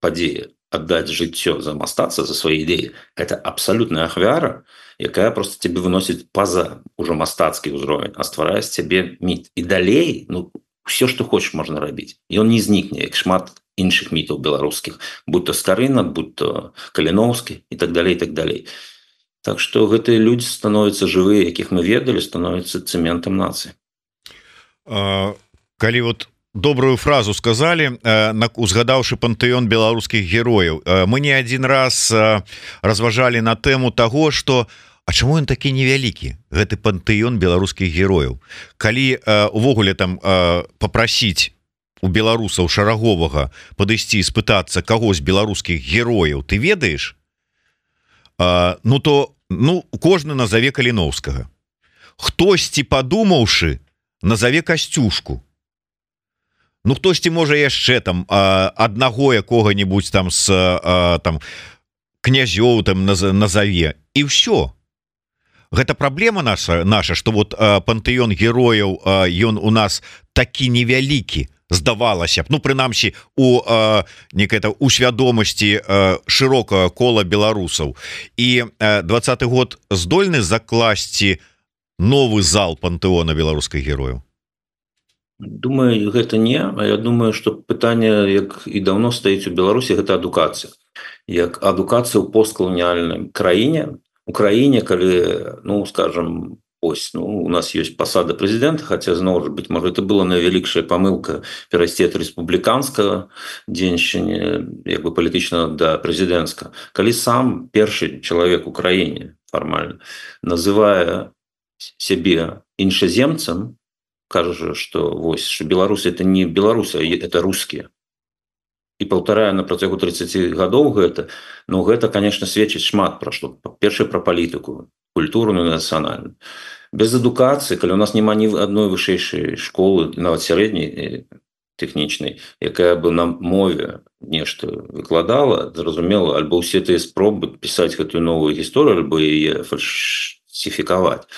падзея. Аддаць жыццё за мастацтва, за свае ідэі. Гэта абсалютная ахвяра, якая просто цябе выносіць па-за ўжо мастацкі ўзровень, а стварае з цябе міт. І далей, ну, ўсё, што хочаш, можна рабіць. Ён не знікне, як шмат іншых мітаў беларускіх, будь то Скарына, будь то Каліноўскі і так далей, і так далей. Так што гэтыя людзі становяцца жывыя, якіх мы ведалі, становяцца цэментам нацыі. Калі вот добрую фразу сказали, узгадаўшы пантэон беларускіх герояў, мы не один раз разважалі на тэму того, что а чаму ён такі невялікі, гэты пантэон беларускіх герояў, калі увогуле там попросіць у беларусаў шараговага падысці і спытацца каго з беларускіх герояў ты ведаеш, ну то кожны назаве Каліноўскага, хтосьці падумаўшы назаве Касцюшку. Ну, хтосьці можа яшчэ там аднаго якога-нибудь там з там князёў там назаве, і ўсё. Гэта праблема наша, што вот пантэон герояў ён у нас такі невялікі, здавалася б, ну прынамсі у у свядомасці шырокага кола беларусаў. І 20-й год здольны закласці новы зал пантэона беларускіх герояў? Думаю, гэта не, а я думаю, што пытанне, як і даўно стаіць у Беларусі, гэта адукацыя. Як адукацыя ў посткаланіяльнай краіне, у краіне, калі, ну, скажем, ось, ну, у нас ёсць пасада прэзідэнта, хаця, зноў жа, быць можа, это была найвялікшая памылка перайсці ад рэспубліканскага дзеншчыня, як бы палітычнага да прэзідэнцкага. Калі сам першы чалавек у краіне фармальна называе сябе іншаземцам, кажа, што вось, што беларусы это не беларусы, а это рускія. І паўтарае на працягу 30 гадоў гэта, ну гэта, конечно, сведчыць шмат пра што. Першае пра палітыку, культурную і нацыянальную. Без адукацыі, калі у нас няма ні адной вышэйшай школы, нават сярэдняй тэхнічнай, якая бы на мове нешта выкладала, зразумела, альбо ўсе тыя спробы пісаць гэтую новую гісторыю, альбо яе фальсіфікаваць.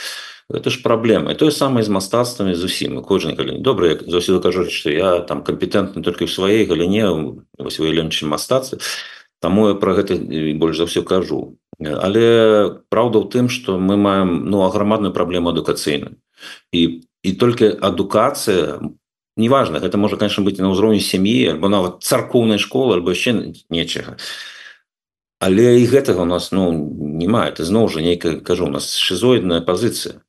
Это ж праблема. І тое самае з мастацтвамі зусім. Кожнай галіне. Добра, я заўсёды кажу, што я там кампетэнтны толькі ў сваёй галіне, вось выяўленчым мастацтве, таму я пра гэта больш за ўсё кажу. Але праўда ў тым, што мы маем, ну, аграмадную праблему адукацыйную. І толькі адукацыя, неважна, гэта можа, конечно, быць на ўзроўні сям'і, альбо нават царкоўнай школы, альбо яшчэ нечага. Але і гэтага у нас, ну, няма. Это зноў жа нейкая, кажу, у нас шизоідная пазіцыя.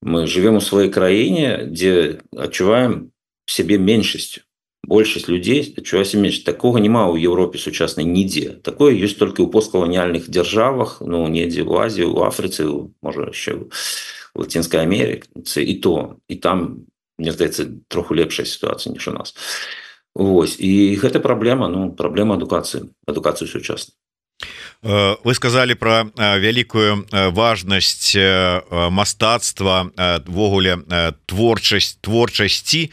Мы живем у сваёй краіне, дзе адчуваем сябе меншасцю. Большасць людзей адчувае сябе меншасцю. Такога няма ў Еўропе сучаснай нідзе. Такое ёсць толькі ў посткаланіяльных дзяржавах, ну, недзе ў Азіі, у Афрыцы, можа, яшчэ у Лацінскай Амерыцы, і то. І там, мне здаецца, троху лепшая сітуацыя, ніж у нас. Вось. І гэта праблема, ну, праблема адукацыі сучаснай. Вы сказали про вялікую важнасць мастацтва, ввогуле творчасці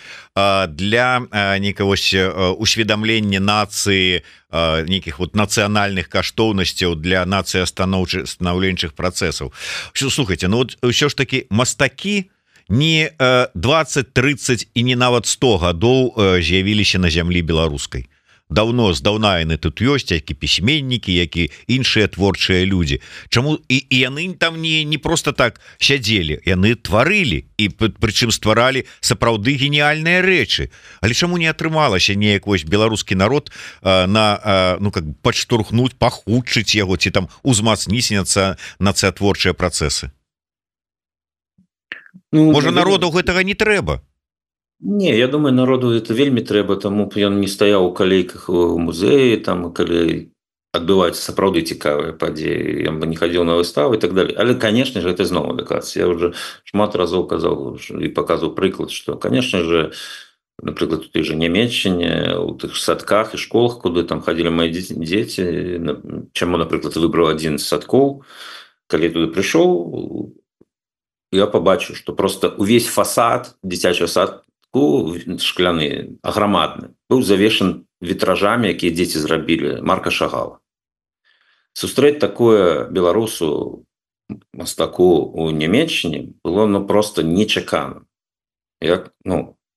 для нейкага усведамлення нацыі, нейкіх вот нацыянальных каштоўнасцяў для нацыі станаўленчых працэсаў. Слухайте, ну вот ўсё ж таки мастакі не 20-30 і не нават 100 гадоў з'явіліся на зямлі беларускай. Даўно здаўна яны тут ёсць, які пісьменнікі, які іншыя творчыя людзі. Чаму і яны там не просто так сядзелі, яны тварылі і прычым стваралі сапраўды геніяльныя рэчы. Але чаму не атрымалася неяк вось беларускі народ падштурхнуць, пахутчыць яго ці там узмацніць нацыятворчыя працэсы? Можа, народу гэтага не трэба? Не, я думаю, народу это вельмі трэба, таму б ён не стаяў у калейках у музеі, там калі адбываюцца сапраўды цікавыя падзеі, ён бы не хадзіў на выставы і так далее. Але, конечно же, это зноў адукацыя. Я уже шмат разоў казаў і паказваў прыклад, што, конечно же, напрыклад, у той же Нямецчыне, у тых садках і школах, куды там хадзілі мои дзеці, чаму, напрыклад, выбраў адзін з садкоў, калі туды прыйшоў, я пабачыў, што просто увесь фасад дзіцячага садка шкляны, аграмадны, быў завешан вітражамі, якія дзеці зрабілі, Марка Шагала. Сустрэць такое беларусу, мастаку у Нямецчыне было просто нечакана. І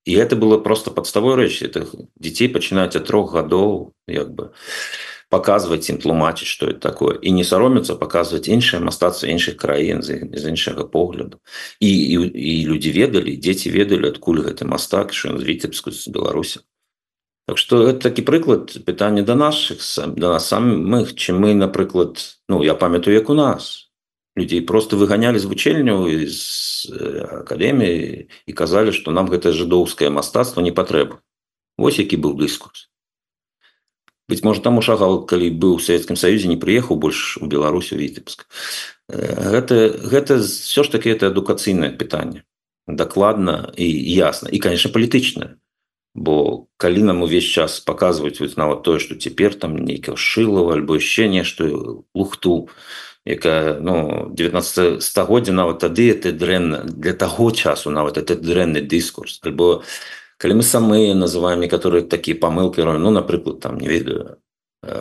гэта было просто падставой рэч. Дзяцей пачынаюць ад 3 гадоў паказваць ім, тлумачыць, што это такое, і не саромецца паказваць іншае мастацтва іншых краін з іншага погляду. І людзі ведалі, дзеці ведалі, адкуль гэты мастак, што ён з Віцебску, з Беларусі. Так што гэта такі прыклад пытання да нас самых, чым мы, напрыклад, я памятаю, як у нас. Людзей просто выганялі з вучэльняў, з акадэміі і казалі, што нам гэта жыдоўскае мастацтва не патрэба. Вось які быў дыскурс. Быць можа, таму Шагал, калі быў у Савецкім Саюзе, не прыехаў больш у Беларусь, у Віцебск. Гэта все ж таки это адукацыйнае пытанне. Дакладна і ясна. І, конечно, палітычнае. Бо калі нам увесь час паказваюць нават тое, што цяпер там нейкае Шылава альбо яшчэ нешта, лухту, якая, 19 стагоддзя нават тады это дрэнна, для таго часу нават это дрэнны дыскурс. Альбо калі мы самыя называем некаторыя такія памылкі, напрыклад, там, не ведаю,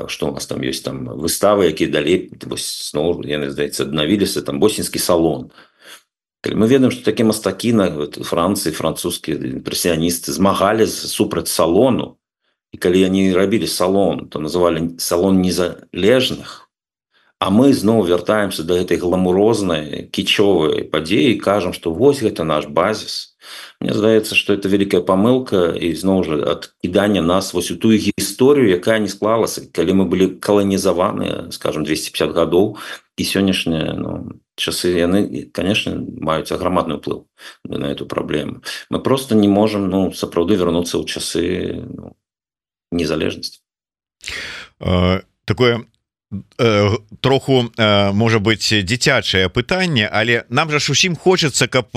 што у нас там ёсць, там выставы, якія далей, зноў, яны, здаецца, аднавіліся, там Босінскі салон. Калі мы ведаем, што такія мастакі на Францыі, французскія імпрэсіяністы змагалі супраць салону, і калі яны рабілі салон, то называлі салон незалежных, а мы зноў вяртаемся да гэтай гламурознай, кічовай падзеі і кажам, што вось гэта наш базіс. Мне здаецца, што это вялікая памылка і зноў жа адкідання нас вось у тую гісторыю, якая не склалася, калі мы былі каланізаваныя, скажем, 250 гадоў, і сённяшнія часы, яны, конечно, маюць аграмадны ўплыў на эту праблему. Мы просто не можам сапраўды вярнуцца ў часы незалежнасці. Такое троху, можа быць, дзіцячае пытанне, але нам жа ж усім хочацца, каб,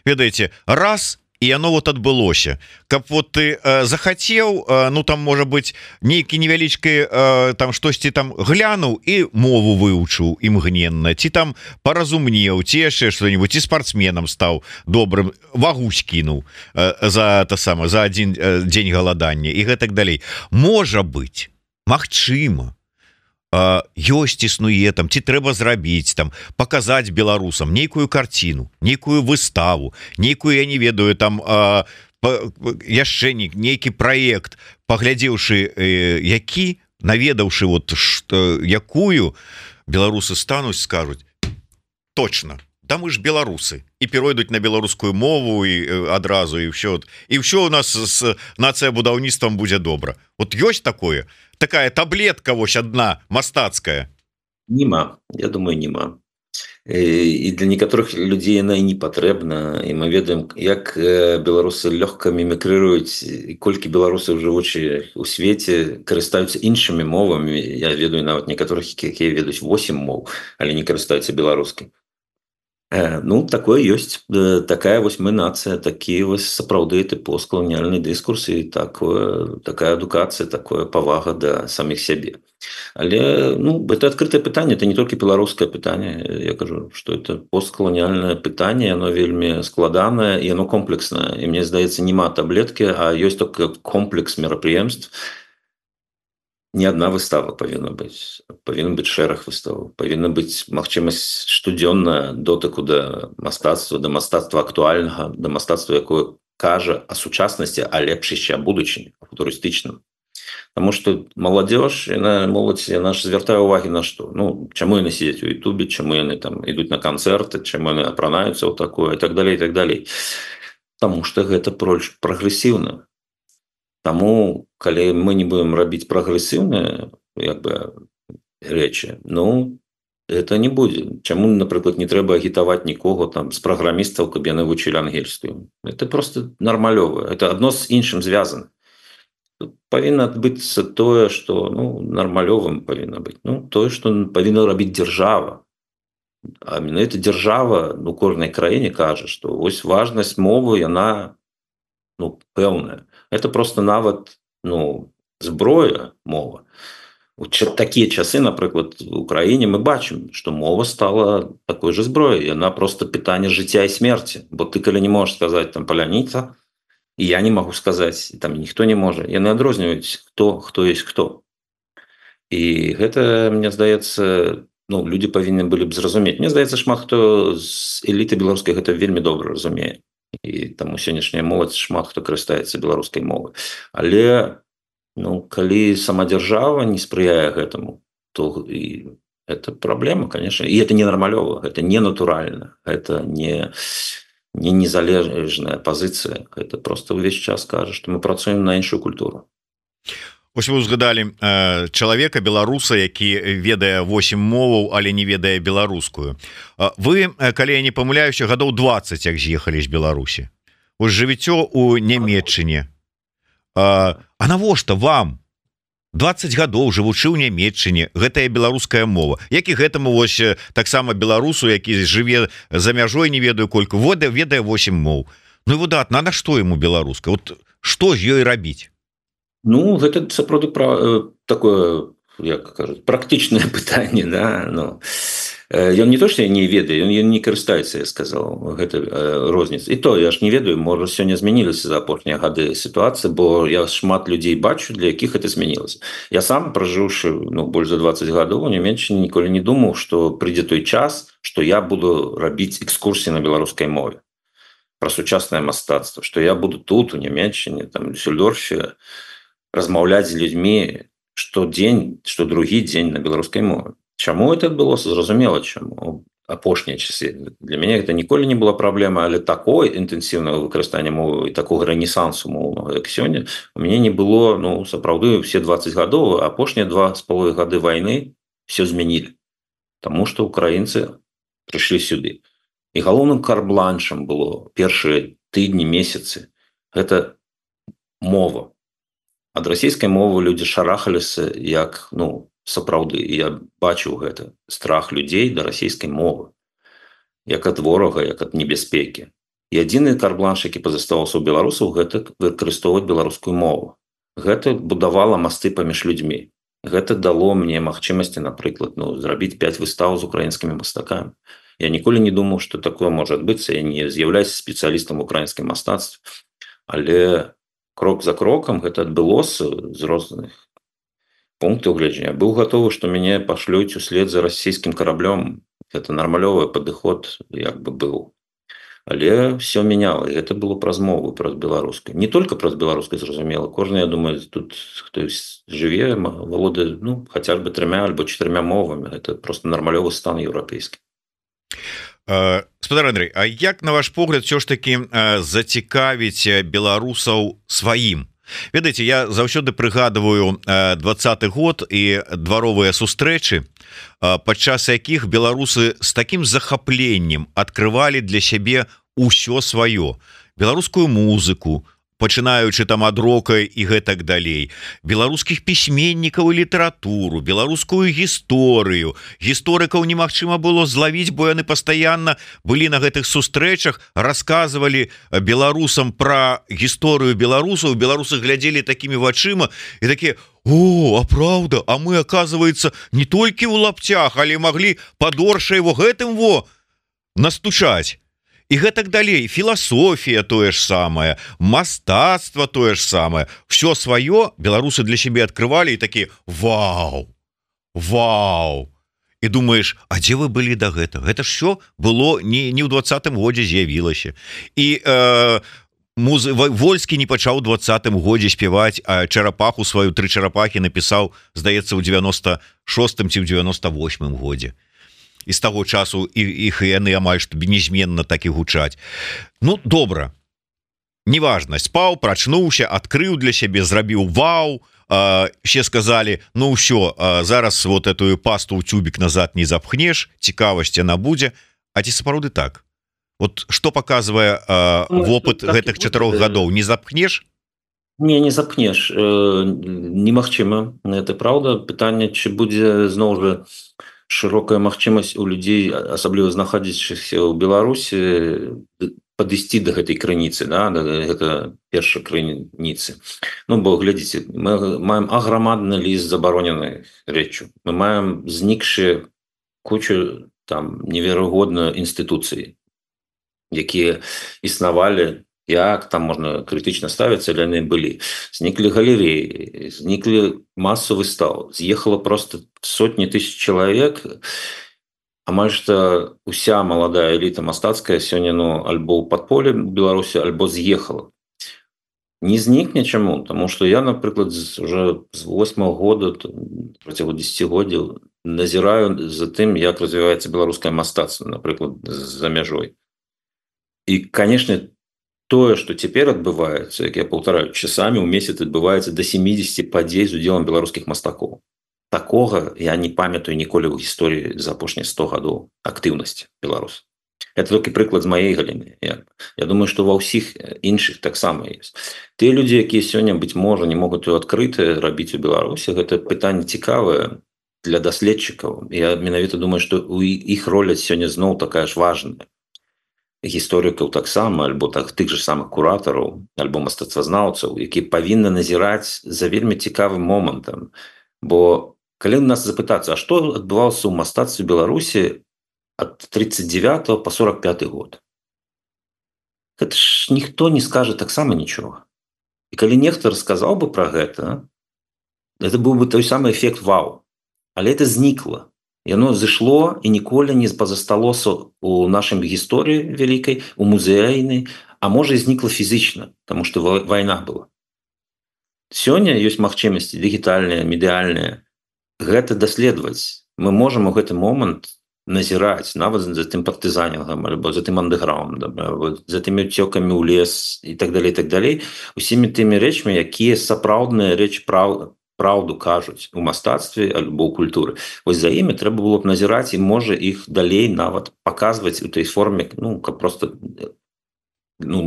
ведаеце, раз і яно вот адбылося, каб вот ты захацеў, там, можа быць, нейкі невялічкі там штосьці там глянуў і мову выучыў імгненна, ці там паразумнеў, ці яшчэ што-нибудь, ці спартсменам стаў добрым, вагу скінуў за адзін дзень галадання і гэтак далей. Можа быць, магчыма, ёсць, існуе там, ці трэба зрабіць там, паказаць беларусам нейкую карціну, нейкую выставу, нейкую, я не ведаю, там яшчэ нейкі праект, паглядзеўшы які, наведаўшы якую, беларусы стануць, скажуць, точно, да мы ж беларусы, і перайдуць на беларускую мову і адразу, і ўсё у нас з нацыябудаўніцтвам будзе добра. Вот ёсць такое? Такая таблетка вось одна мастацкая? Нема, я думаю, нема. І для некаторых людзей яна і не патрэбна, і мы ведаем, як беларусы лёгка мімікрыруюць, і колькі беларусаў, жывучы ў свеце, карыстаюцца іншымі мовамі. Я ведаю нават некаторых, якія ведаюць 8 моў, але не карыстаюцца беларускай. Такое ёсць, такая вось мы нацыя, такі вось сапраўды ты посткаланіяльны дыскурс і такая адукацыя, такая павага да саміх сябе. Але это адкрытае пытанне, это не толькі беларускае пытанне, я кажу, што это посткаланіяльнае пытанне, яно вельмі складанае і яно комплекснае, і мне здаецца, няма таблеткі, а ёсць толькі комплекс мерапрыемств, не одна выстава павінна быць шэраг выставаў, павінна быць магчымасць штодзённа дотыку да мастацтва актуальнага, да мастацтва, якое кажа о сучаснасці, а лепш яшчэ о будучыні, футурыстычным. Таму што моладзёж, моладзь, яна ж звяртае ўвагі на што? Ну, чаму яны сидзяць у Ютубе, чаму яны там ідуць на канцэрты, чаму яны апранаюцца ў такое, і так далей, і так далей. Таму што гэта прагрэсіўна. Таму, калі мы не будем рабіць прагрэсіўныя рэчы, ну, это не будзе. Чаму, напрыклад, не трэба агітаваць нікога там з праграмістаў, каб яны вучылі ангельскую? Это просто нармалёва. Это адно з іншым звязана. Павінна адбыцца тое, што нармалёвым павінна быць. Тое, што павінна рабіць дзяржава. А менавіта дзяржава у кожнай краіне кажа, што вось важнасць мовы, яна пэўная. Это просто нават зброя, мова. У такія часы, напрыклад, у краіне мы бачым, што мова стала такой же зброяй. Яна просто пытанне жыцця і смерці. Бо ты, калі не можаш сказаць там паляніца, і я не магу сказаць, там ніхто не можа. Яны адрозніваюць, хто ёсць хто. І гэта, мне здаецца, людзі павінны былі б зразумець. Мне здаецца, шмат хто з эліты беларускай гэта вельмі добра разумее. І таму сённяшняя моладзь шмат хто карыстаецца беларускай мовай. Але калі сама дзяржава не спрыяе гэтаму, то і это праблема, конечно. І это не нармалёва, гэта не натуральна, гэта не незалежная пазіцыя. Гэта просто ўвесь час кажа, што мы працуем на іншую культуру. Ось вы узгадалі чалавека, беларуса, які ведае 8 моваў, але не ведае беларускую. Вы, калі я не памыляюся, гадоў 20 як з'ехалі з Беларусі. Вось жывіццё ў Нямецчыне. А навошта вам 20 гадоў жывучы ў Нямецчыне гэтая беларуская мова? Як і гэтаму вось таксама беларусу, які жыве за мяжой, не ведаю колькі, ведае 8 моў. Ну і выдатна, на што яму беларуска? Вот што з ёй рабіць? Гэта сапраўды такое, як кажуць, практычнае пытанне, да? Ён не то, што я не ведаю, ён не карыстаецца, я сказаў, гэта розніца. І то, я ж не ведаю, можа, сёння змянілася за апошнія гады сітуацыя, бо я шмат людзей бачу, для якіх гэта змянілася. Я сам, пражыўшы больш за 20 гадоў у Нямецчыне, ніколі не думаў, што прыйдзе той час, што я буду рабіць экскурсіі на беларускай мове пра сучаснае мастацтва, што я буду тут, у Нямецчыне, там, у Дюссельдорфе, размаўляць з людзьмі штодзень, што другі дзень на беларускай мове. Чаму это адбылося? Зразумела, чаму. Апошнія часы. Для мяне гэта ніколі не была праблема, але такой інтэнсіўнага выкарыстання мовы і такога рэнесансу моўнага, як сёння, у мяне не было, сапраўды, все 20 гадоў, а апошнія 2,5 гады вайны все змянілі. Таму што украінцы прыйшлі сюды. І галоўным карбланшам было першыя тыдні, месяцы. Гэта мова. Ад расійскай мовы людзі шарахаліся як, сапраўды. І я бачыў гэта. Страх людзей да расійскай мовы. Як ад ворага, як ад небяспекі. І адзіны карбланш, які пазаставаўся ў беларусаў, гэта выкарыстоўваць беларускую мову. Гэта будавала масты паміж людзьмі. Гэта дало мне магчымасці, напрыклад, зрабіць 5 выстаў з украінскімі мастакамі. Я ніколі не думаў, што такое можа адбыцца. Я не з'яўляюся спецыялістам у украінскім мастацтве. Але крок за крокам гэта адбылося з розных пунктаў гледжання. Быў гатовы, што мяне пашлюць услед за расійскім караблём. Гэта нармалёвы падыход быў. Але все мяняла. І гэта было праз мову, праз беларускую. Не толькі праз беларускую, зразумела. Кожны, я думаю, тут хто жыве, валодае, хаця б 3 альбо 4 мовамі. Гэта просто нармалёвы стан еўрапейскі. Спадар Андрэй, а як, на ваш погляд, все ж таки зацікавіць беларусаў сваім? Ведаеце, я заўсёды прыгадываю 20-й год і дваровыя сустрэчы, падчас якіх беларусы з такім захапленнем адкрывалі для сябе ўсё сваё. Беларускую музыку, пачынаючы там ад рока і гэтак далей, беларускіх пісьменнікаў і літаратуру, беларускую гісторыю. Гісторыкаў немагчыма было злавіць, бо яны пастаянна былі на гэтых сустрэчах, расказвалі беларусам пра гісторыю беларусаў, беларусы глядзелі такімі вачыма і такія: «О, а праўда, а мы, оказывается, не толькі ў лапцях, але маглі падорша его гэтым настучаць». і гэтак далей. Філасофія тое ж самае, мастацтва тое ж самае, все сваё беларусы для сябе открывалі і такі вау, і думаешь, а дзе вы былі да гэтага? Гэта ж все было не ў 20-м годзе з'явілася. І Вольскі не пачаў у 20-м годзе спяваць, а чарапаху сваю 3 чарапахі напісаў, здаецца, у 96-м ці ў 98-м годзе. І з таго часу іх яны амаль што незменна так і гучаць. Ну, добра. Неважна, спаў, прачнуўся, адкрыў для сябе, зрабіў вау, все сказали, ну ўсё, зараз вот эту пасту ў тюбік назад не запхнеш, цікавасць яна будзе. А ці сапраўды так? Вот што паказвае вопыт гэтых 4 гадоў, не запхнеш? Не запхнеш, немагчыма, это праўда. Пытанне, ці будзе зноў жа шырокая магчымасць у людзей, асабліва знаходзячыхся ў Беларусі, падысці да гэтай крыніцы, да, гэта першай крыніцы. Ну, бо глядзіце, мы маем аграмадны ліст забароненай рэччу, мы маем знікшы кучу там неверагодна інстытуцыі, якія існавалі, як там можна крытычна ставіцца, але яны былі. Зніклі галереі, зніклі масу выстаў, з'ехала просто сотні тысяч чалавек, амаль што уся маладая эліта мастацкая сёння, ну, альбо ў падполе Беларусі, альбо з'ехала. Не знікне чаму? Таму што я, напрыклад, уже з 8-го года, працягу 10-годдзяў, назіраю за тым, як развіваецца беларускае мастацтва, напрыклад, за мяжой. І, канешне, тое, што цяпер адбываецца, як я паўтараю, часамі ў месяц адбываецца да 70 падзей з удзелам беларускіх мастакоў. Такога я не памятаю ніколі ў гісторыі за апошнія 100 гадоў актыўнасці беларусаў. Это толькі прыклад з маёй галіны. Я думаю, што ва ўсіх іншых таксама ёсць. Тыя людзі, якія сёння, быць можа, не могуць адкрыта рабіць у Беларусі, гэта пытанне цікавае для даследчыкаў. Я менавіта думаю, што у іх роля сёння зноў такая ж важная. Гісторыкаў таксама, альбо тых же самых куратараў, альбо мастацтвазнаўцаў, якія павінны назіраць за вельмі цікавым момантам. Бо калі нас запытацца, а што адбывалася ў мастацтве Беларусі ад 39 по 45 год? Гэта ж ніхто не скажа таксама нічога. І калі нехта расказаў бы пра гэта, это быў бы той самы эфект вау. Але это знікла. Яно зышло і ніколі не пазасталося у нашай гісторыі вялікай, у музейнай, а можа і знікла фізічна, таму што вайна была. Сёння ёсць магчымасці дыгітальныя, медыяльныя, гэта даследаваць. Мы можам у гэты момант назіраць нават за тым партызанінгам, альбо за тым андэграундам, за тымі ўцёкамі ў лес і так далей, усімі тымі рэчамі, якія сапраўдныя рэчы праўду кажуць у мастацтве альбо ў культуры. Вось за імі трэба было б назіраць і можа іх далей нават паказваць у той форме, ну, каб просто, ну,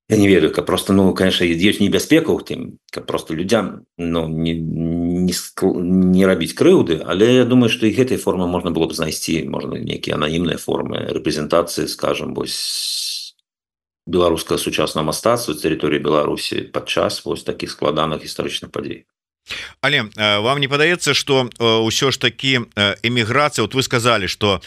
я не ведаю, каб просто, ну, конечно, ёсць небяспека ў тым, каб просто людзям, ну, не рабіць крыўды, але я думаю, што і гэтай формы можна было б знайсці, можна нейкія ананімныя формы рэпрэзентацыі, скажам, вось беларускага сучаснага мастацтва з тэрыторыі Беларусі падчас вось такіх складаных гістарычных падзей. Але вам не падаецца, што ўсё ж такі эміграцыя, вот вы сказалі, што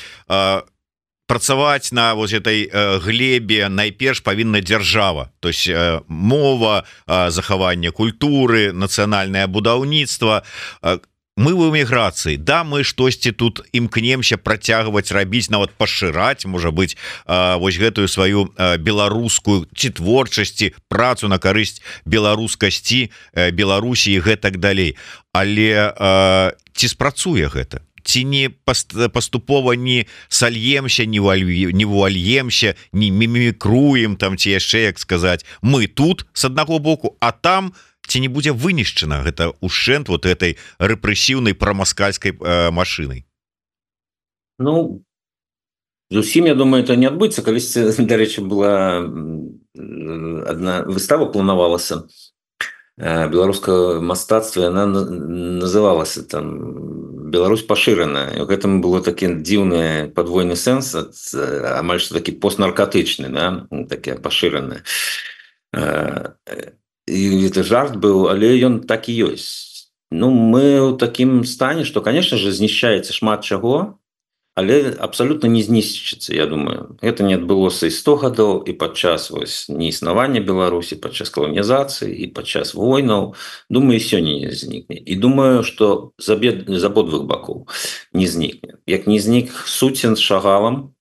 працаваць на вось этой глебе найперш павінна дзяржава, то есть мова, захаванне культуры, нацыянальнае будаўніцтва. Мы в эміграцыі, да, мы штосьці тут імкнемся працягваць рабіць, нават пашыраць, можа быць, вось гэтую сваю беларускую ці творчасці, працу на карысць беларускасці, Беларусі і гэтак далей. Але ці спрацуе гэта? Ці не паступова не сальемся, не вуальемся, не мімікруем там, ці яшчэ, як сказаць, мы тут з аднаго боку, а там ці не будзе вынішчана гэта ушэнт вот этой рэпрэсіўнай прамаскальскай машынай? Ну, зусім, я думаю, это не адбыцца. Калісьці, дарэчы, была адна выстава планавалася беларускага мастацтва, яна называлася там «Беларусь пашыраная». І ў гэтым было такі дзіўны падвойны сэнс, амаль што такі постнаркатычны, да? Таке пашыранае. І это жарт быў, але ён так і ёсць. Ну, мы ў такім стане, што, конечно же, знішчаецца шмат чаго, але абсолютно не знішчыцца. Я думаю, гэта не адбылося і 100 гадоў, і падчас неіснавання Беларусі, падчас каланізацыі і падчас войнаў. Думаю, сёння не знікне. І думаю, што з абодвух бакоў не знікне. Як не знік Суцін з Шагалам,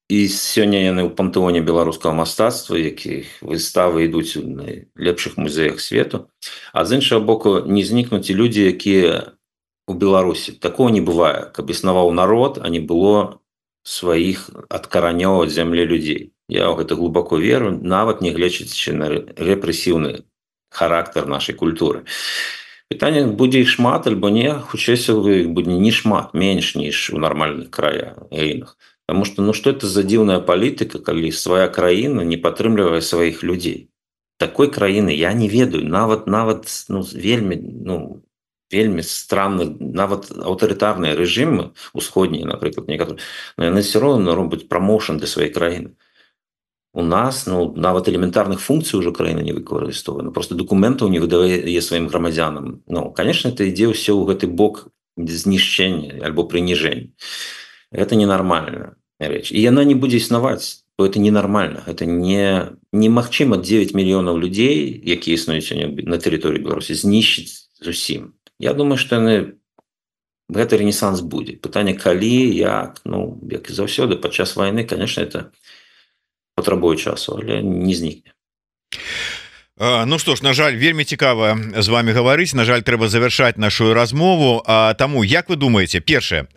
і сёння яны ў пантэоне беларускага мастацтва, якіх выставы ідуць у найлепшых музеях свету, а з іншага боку не знікнуць і людзі, якія у Беларусі. Такого не бывае, каб існаваў народ, а не было сваіх ад каранёў ад зямлі людзей. Я ў гэта глыбоко веру, нават не гледзячы на рэпрэсіўны характар нашай культуры. Пытанне, будзе іх шмат альбо не, хутчэй будзе не шмат, менш ніж у нармальных краінах. Таму што што это за дзіўная палітыка, калі свая краіна не падтрымлівае сваіх людзей. Такой краіны я не ведаю, нават вельмі странны, нават аўтарытарныя рэжымы усходнія, напрыклад, некаторыя, но яны все роўна робяць прамоушн для сваёй краіны. У нас нават элементарных функцый уже краіна не выкарыстоўвае, просто дакументаў не выдае сваім грамадзянам. Конечно, это ідзе ўсё ў гэты бок знішчэння альбо прыніжэння. Это ненармальная рэч. І яна не будзе існаваць, бо это ненармальна. Это немагчыма 9 мільёнаў людзей, якія існуюць на тэрыторыі Беларусі, знішчыць зусім. Я думаю, што гэты рэнесанс будзе. Пытанне, калі, як, як і заўсёды, падчас вайны, конечно, это патрабуе часу, але не знікне. Ну што ж, на жаль, вельмі цікава з вами гаварыць. На жаль, трэба завяршаць нашу размову. Таму, як вы думаеце, першае,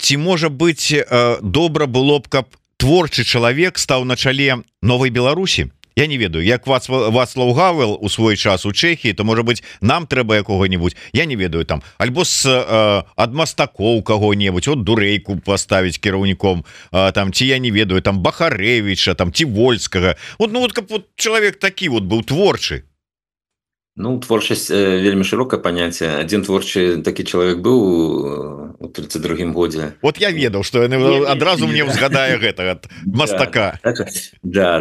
ці можа быць добра было б, каб творчы чалавек стаў на чале новай Беларусі? Я не ведаю, як Вацлаў Гавел у свой час у Чэхіі, то можа быць нам трэба якога-нибудь, я не ведаю, там альбо ад мастакоў каго-небудзь, от Дурэйку паставіць кіраўніком, там ці я не ведаю, там Бахарэвіча, там ці Вольскага. Каб чалавек такі быў творчы. Творчасць вельмі шырокае паняцце. Адзін творчы такі чалавек быў у 32-м годзе. Вот я ведаў, што яны адразу мне ўзгадае гэта ад мастака. Да,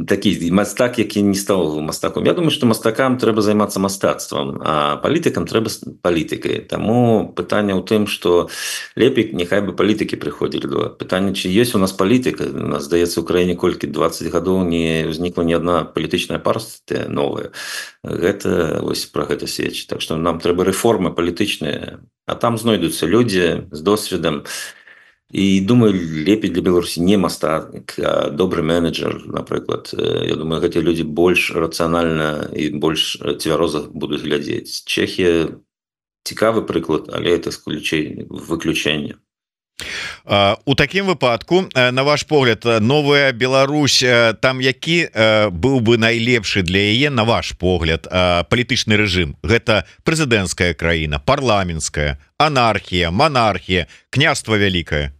такі мастак, які не стаў мастаком. Я думаю, што мастакам трэба займацца мастацтвам, а палітыкам трэба палітыкай. Таму пытанне ў тым, што лепей няхай бы палітыкі прыходзілі. Пытанне, ці ёсць у нас палітыка. У нас, здаецца, у краіне колькі 20 гадоў не ўзнікла ні адна палітычная партыя новая. Гэта пра гэта сведчыць. Так што нам трэба рэформы палітычныя, а там знойдуцца людзі з досведам. І думаю, лепей для Беларусі не мастак, а добры менеджер, напрыклад. Я думаю, гэтыя людзі больш рацыянальна і больш цвяроза будуць глядзець. Чэхія цікавы прыклад, але это выключэнне. У такім выпадку, на ваш погляд, новая Беларусь, там які быў бы найлепшы для яе, на ваш погляд, палітычны рэжым? Гэта прэзідэнцкая краіна, парламенцкая, анархія, монархія, княства вялікае?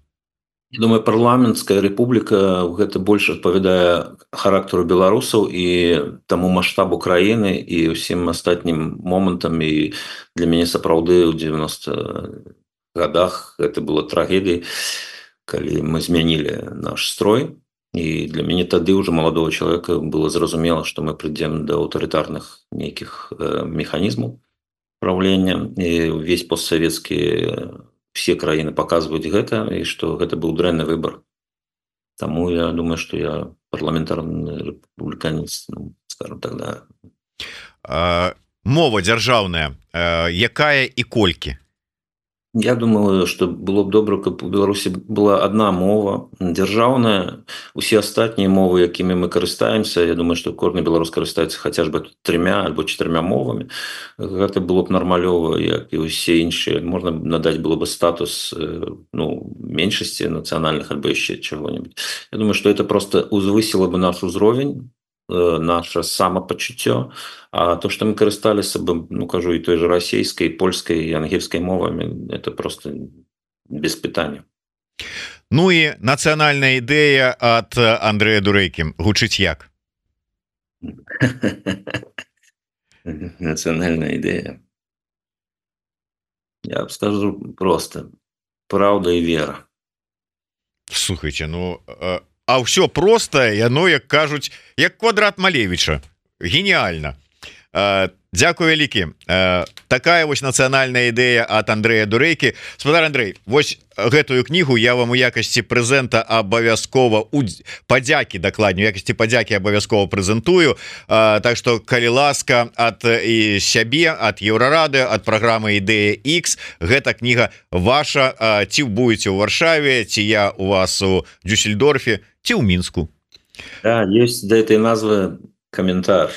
Я думаю, парламенцкая рэпубліка гэта больш адпавядае характару беларусаў і таму маштабу краіны і ўсім астатнім момантам. І для мяне сапраўды ў 90 годах это было трагедыяй, калі мы змянілі наш строй. І для мяне тады ўжо маладого чалавека было зразумела, што мы прыйдзем да аўтарытарных нейкіх механізмаў правлення. І ўвесь постсавецкі все краіны паказваюць гэта, і што гэта быў дрэнны выбар. Таму я думаю, што я парламентарны рэспубліканец, скажем так, да. Мова дзяржаўная, якая і колькі? Я думаю, што было б добра, каб у Беларусі была адна мова дзяржаўная. Усе астатнія мовы, якімі мы карыстаемся, я думаю, што кожны беларус карыстаецца хаця б 3 альбо 4 мовамі. Гэта было б нармалёва, як і ўсе іншыя. Можна надаць было б статус меншасці нацыянальных альбо яшчэ чаго-небудзь. Я думаю, што это просто узвысіла бы наш узровень, наше самапачуццё. А то, што мы карысталіся бы, кажу, і той же расійскай, польскай і ангельскай мовамі, это просто без пытання. Ну і нацыянальная ідэя ад Андрэя Дурэйкі гучыць як? Нацыянальная ідэя. Я б скажу просто: праўда і вера. Слухайце, а ўсё простае, яно, як кажуць, як квадрат Малевіча. Геніальна. Дзякую вялікі. Такая вось нацыянальная ідэя ад Андрэя Дурэйкі. Спадар Андрэй, вось гэтую кнігу я вам у якасці прэзента абавязкова падзякі, дакладней, у якасці падзякі абавязкова прэзентую. Так што, калі ласка, ад і сябе, ад Еўрарады, ад праграмы Ідэя X, гэта кніга ваша. Ці будете ў Варшаве, ці я у вас у Дюссельдорфе, ці ў Мінску. Да, есть до этой назвы комментарий.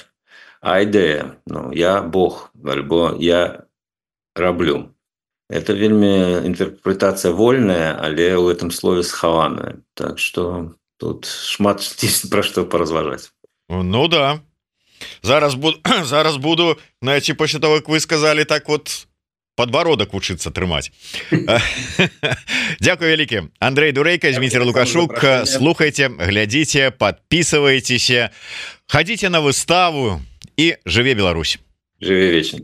А ідэя, ну, я Бог, альбо я раблю. Это вельмі інтэрпрэтацыя вольная, але ў гэтым слове схаваная. Так што тут шмат пра што паразважаць. Ну да. Зараз буду, знаете, пасля того, як вы сказали, так вот подбородок вучыцца трымаць. Дзякую вялікі. Андрэй Дурэйка, Зміцер Лукашук. Слухайте, глядзіце, подписывайтесь, ходите на выставу. И живе Беларусь. Живе вечно.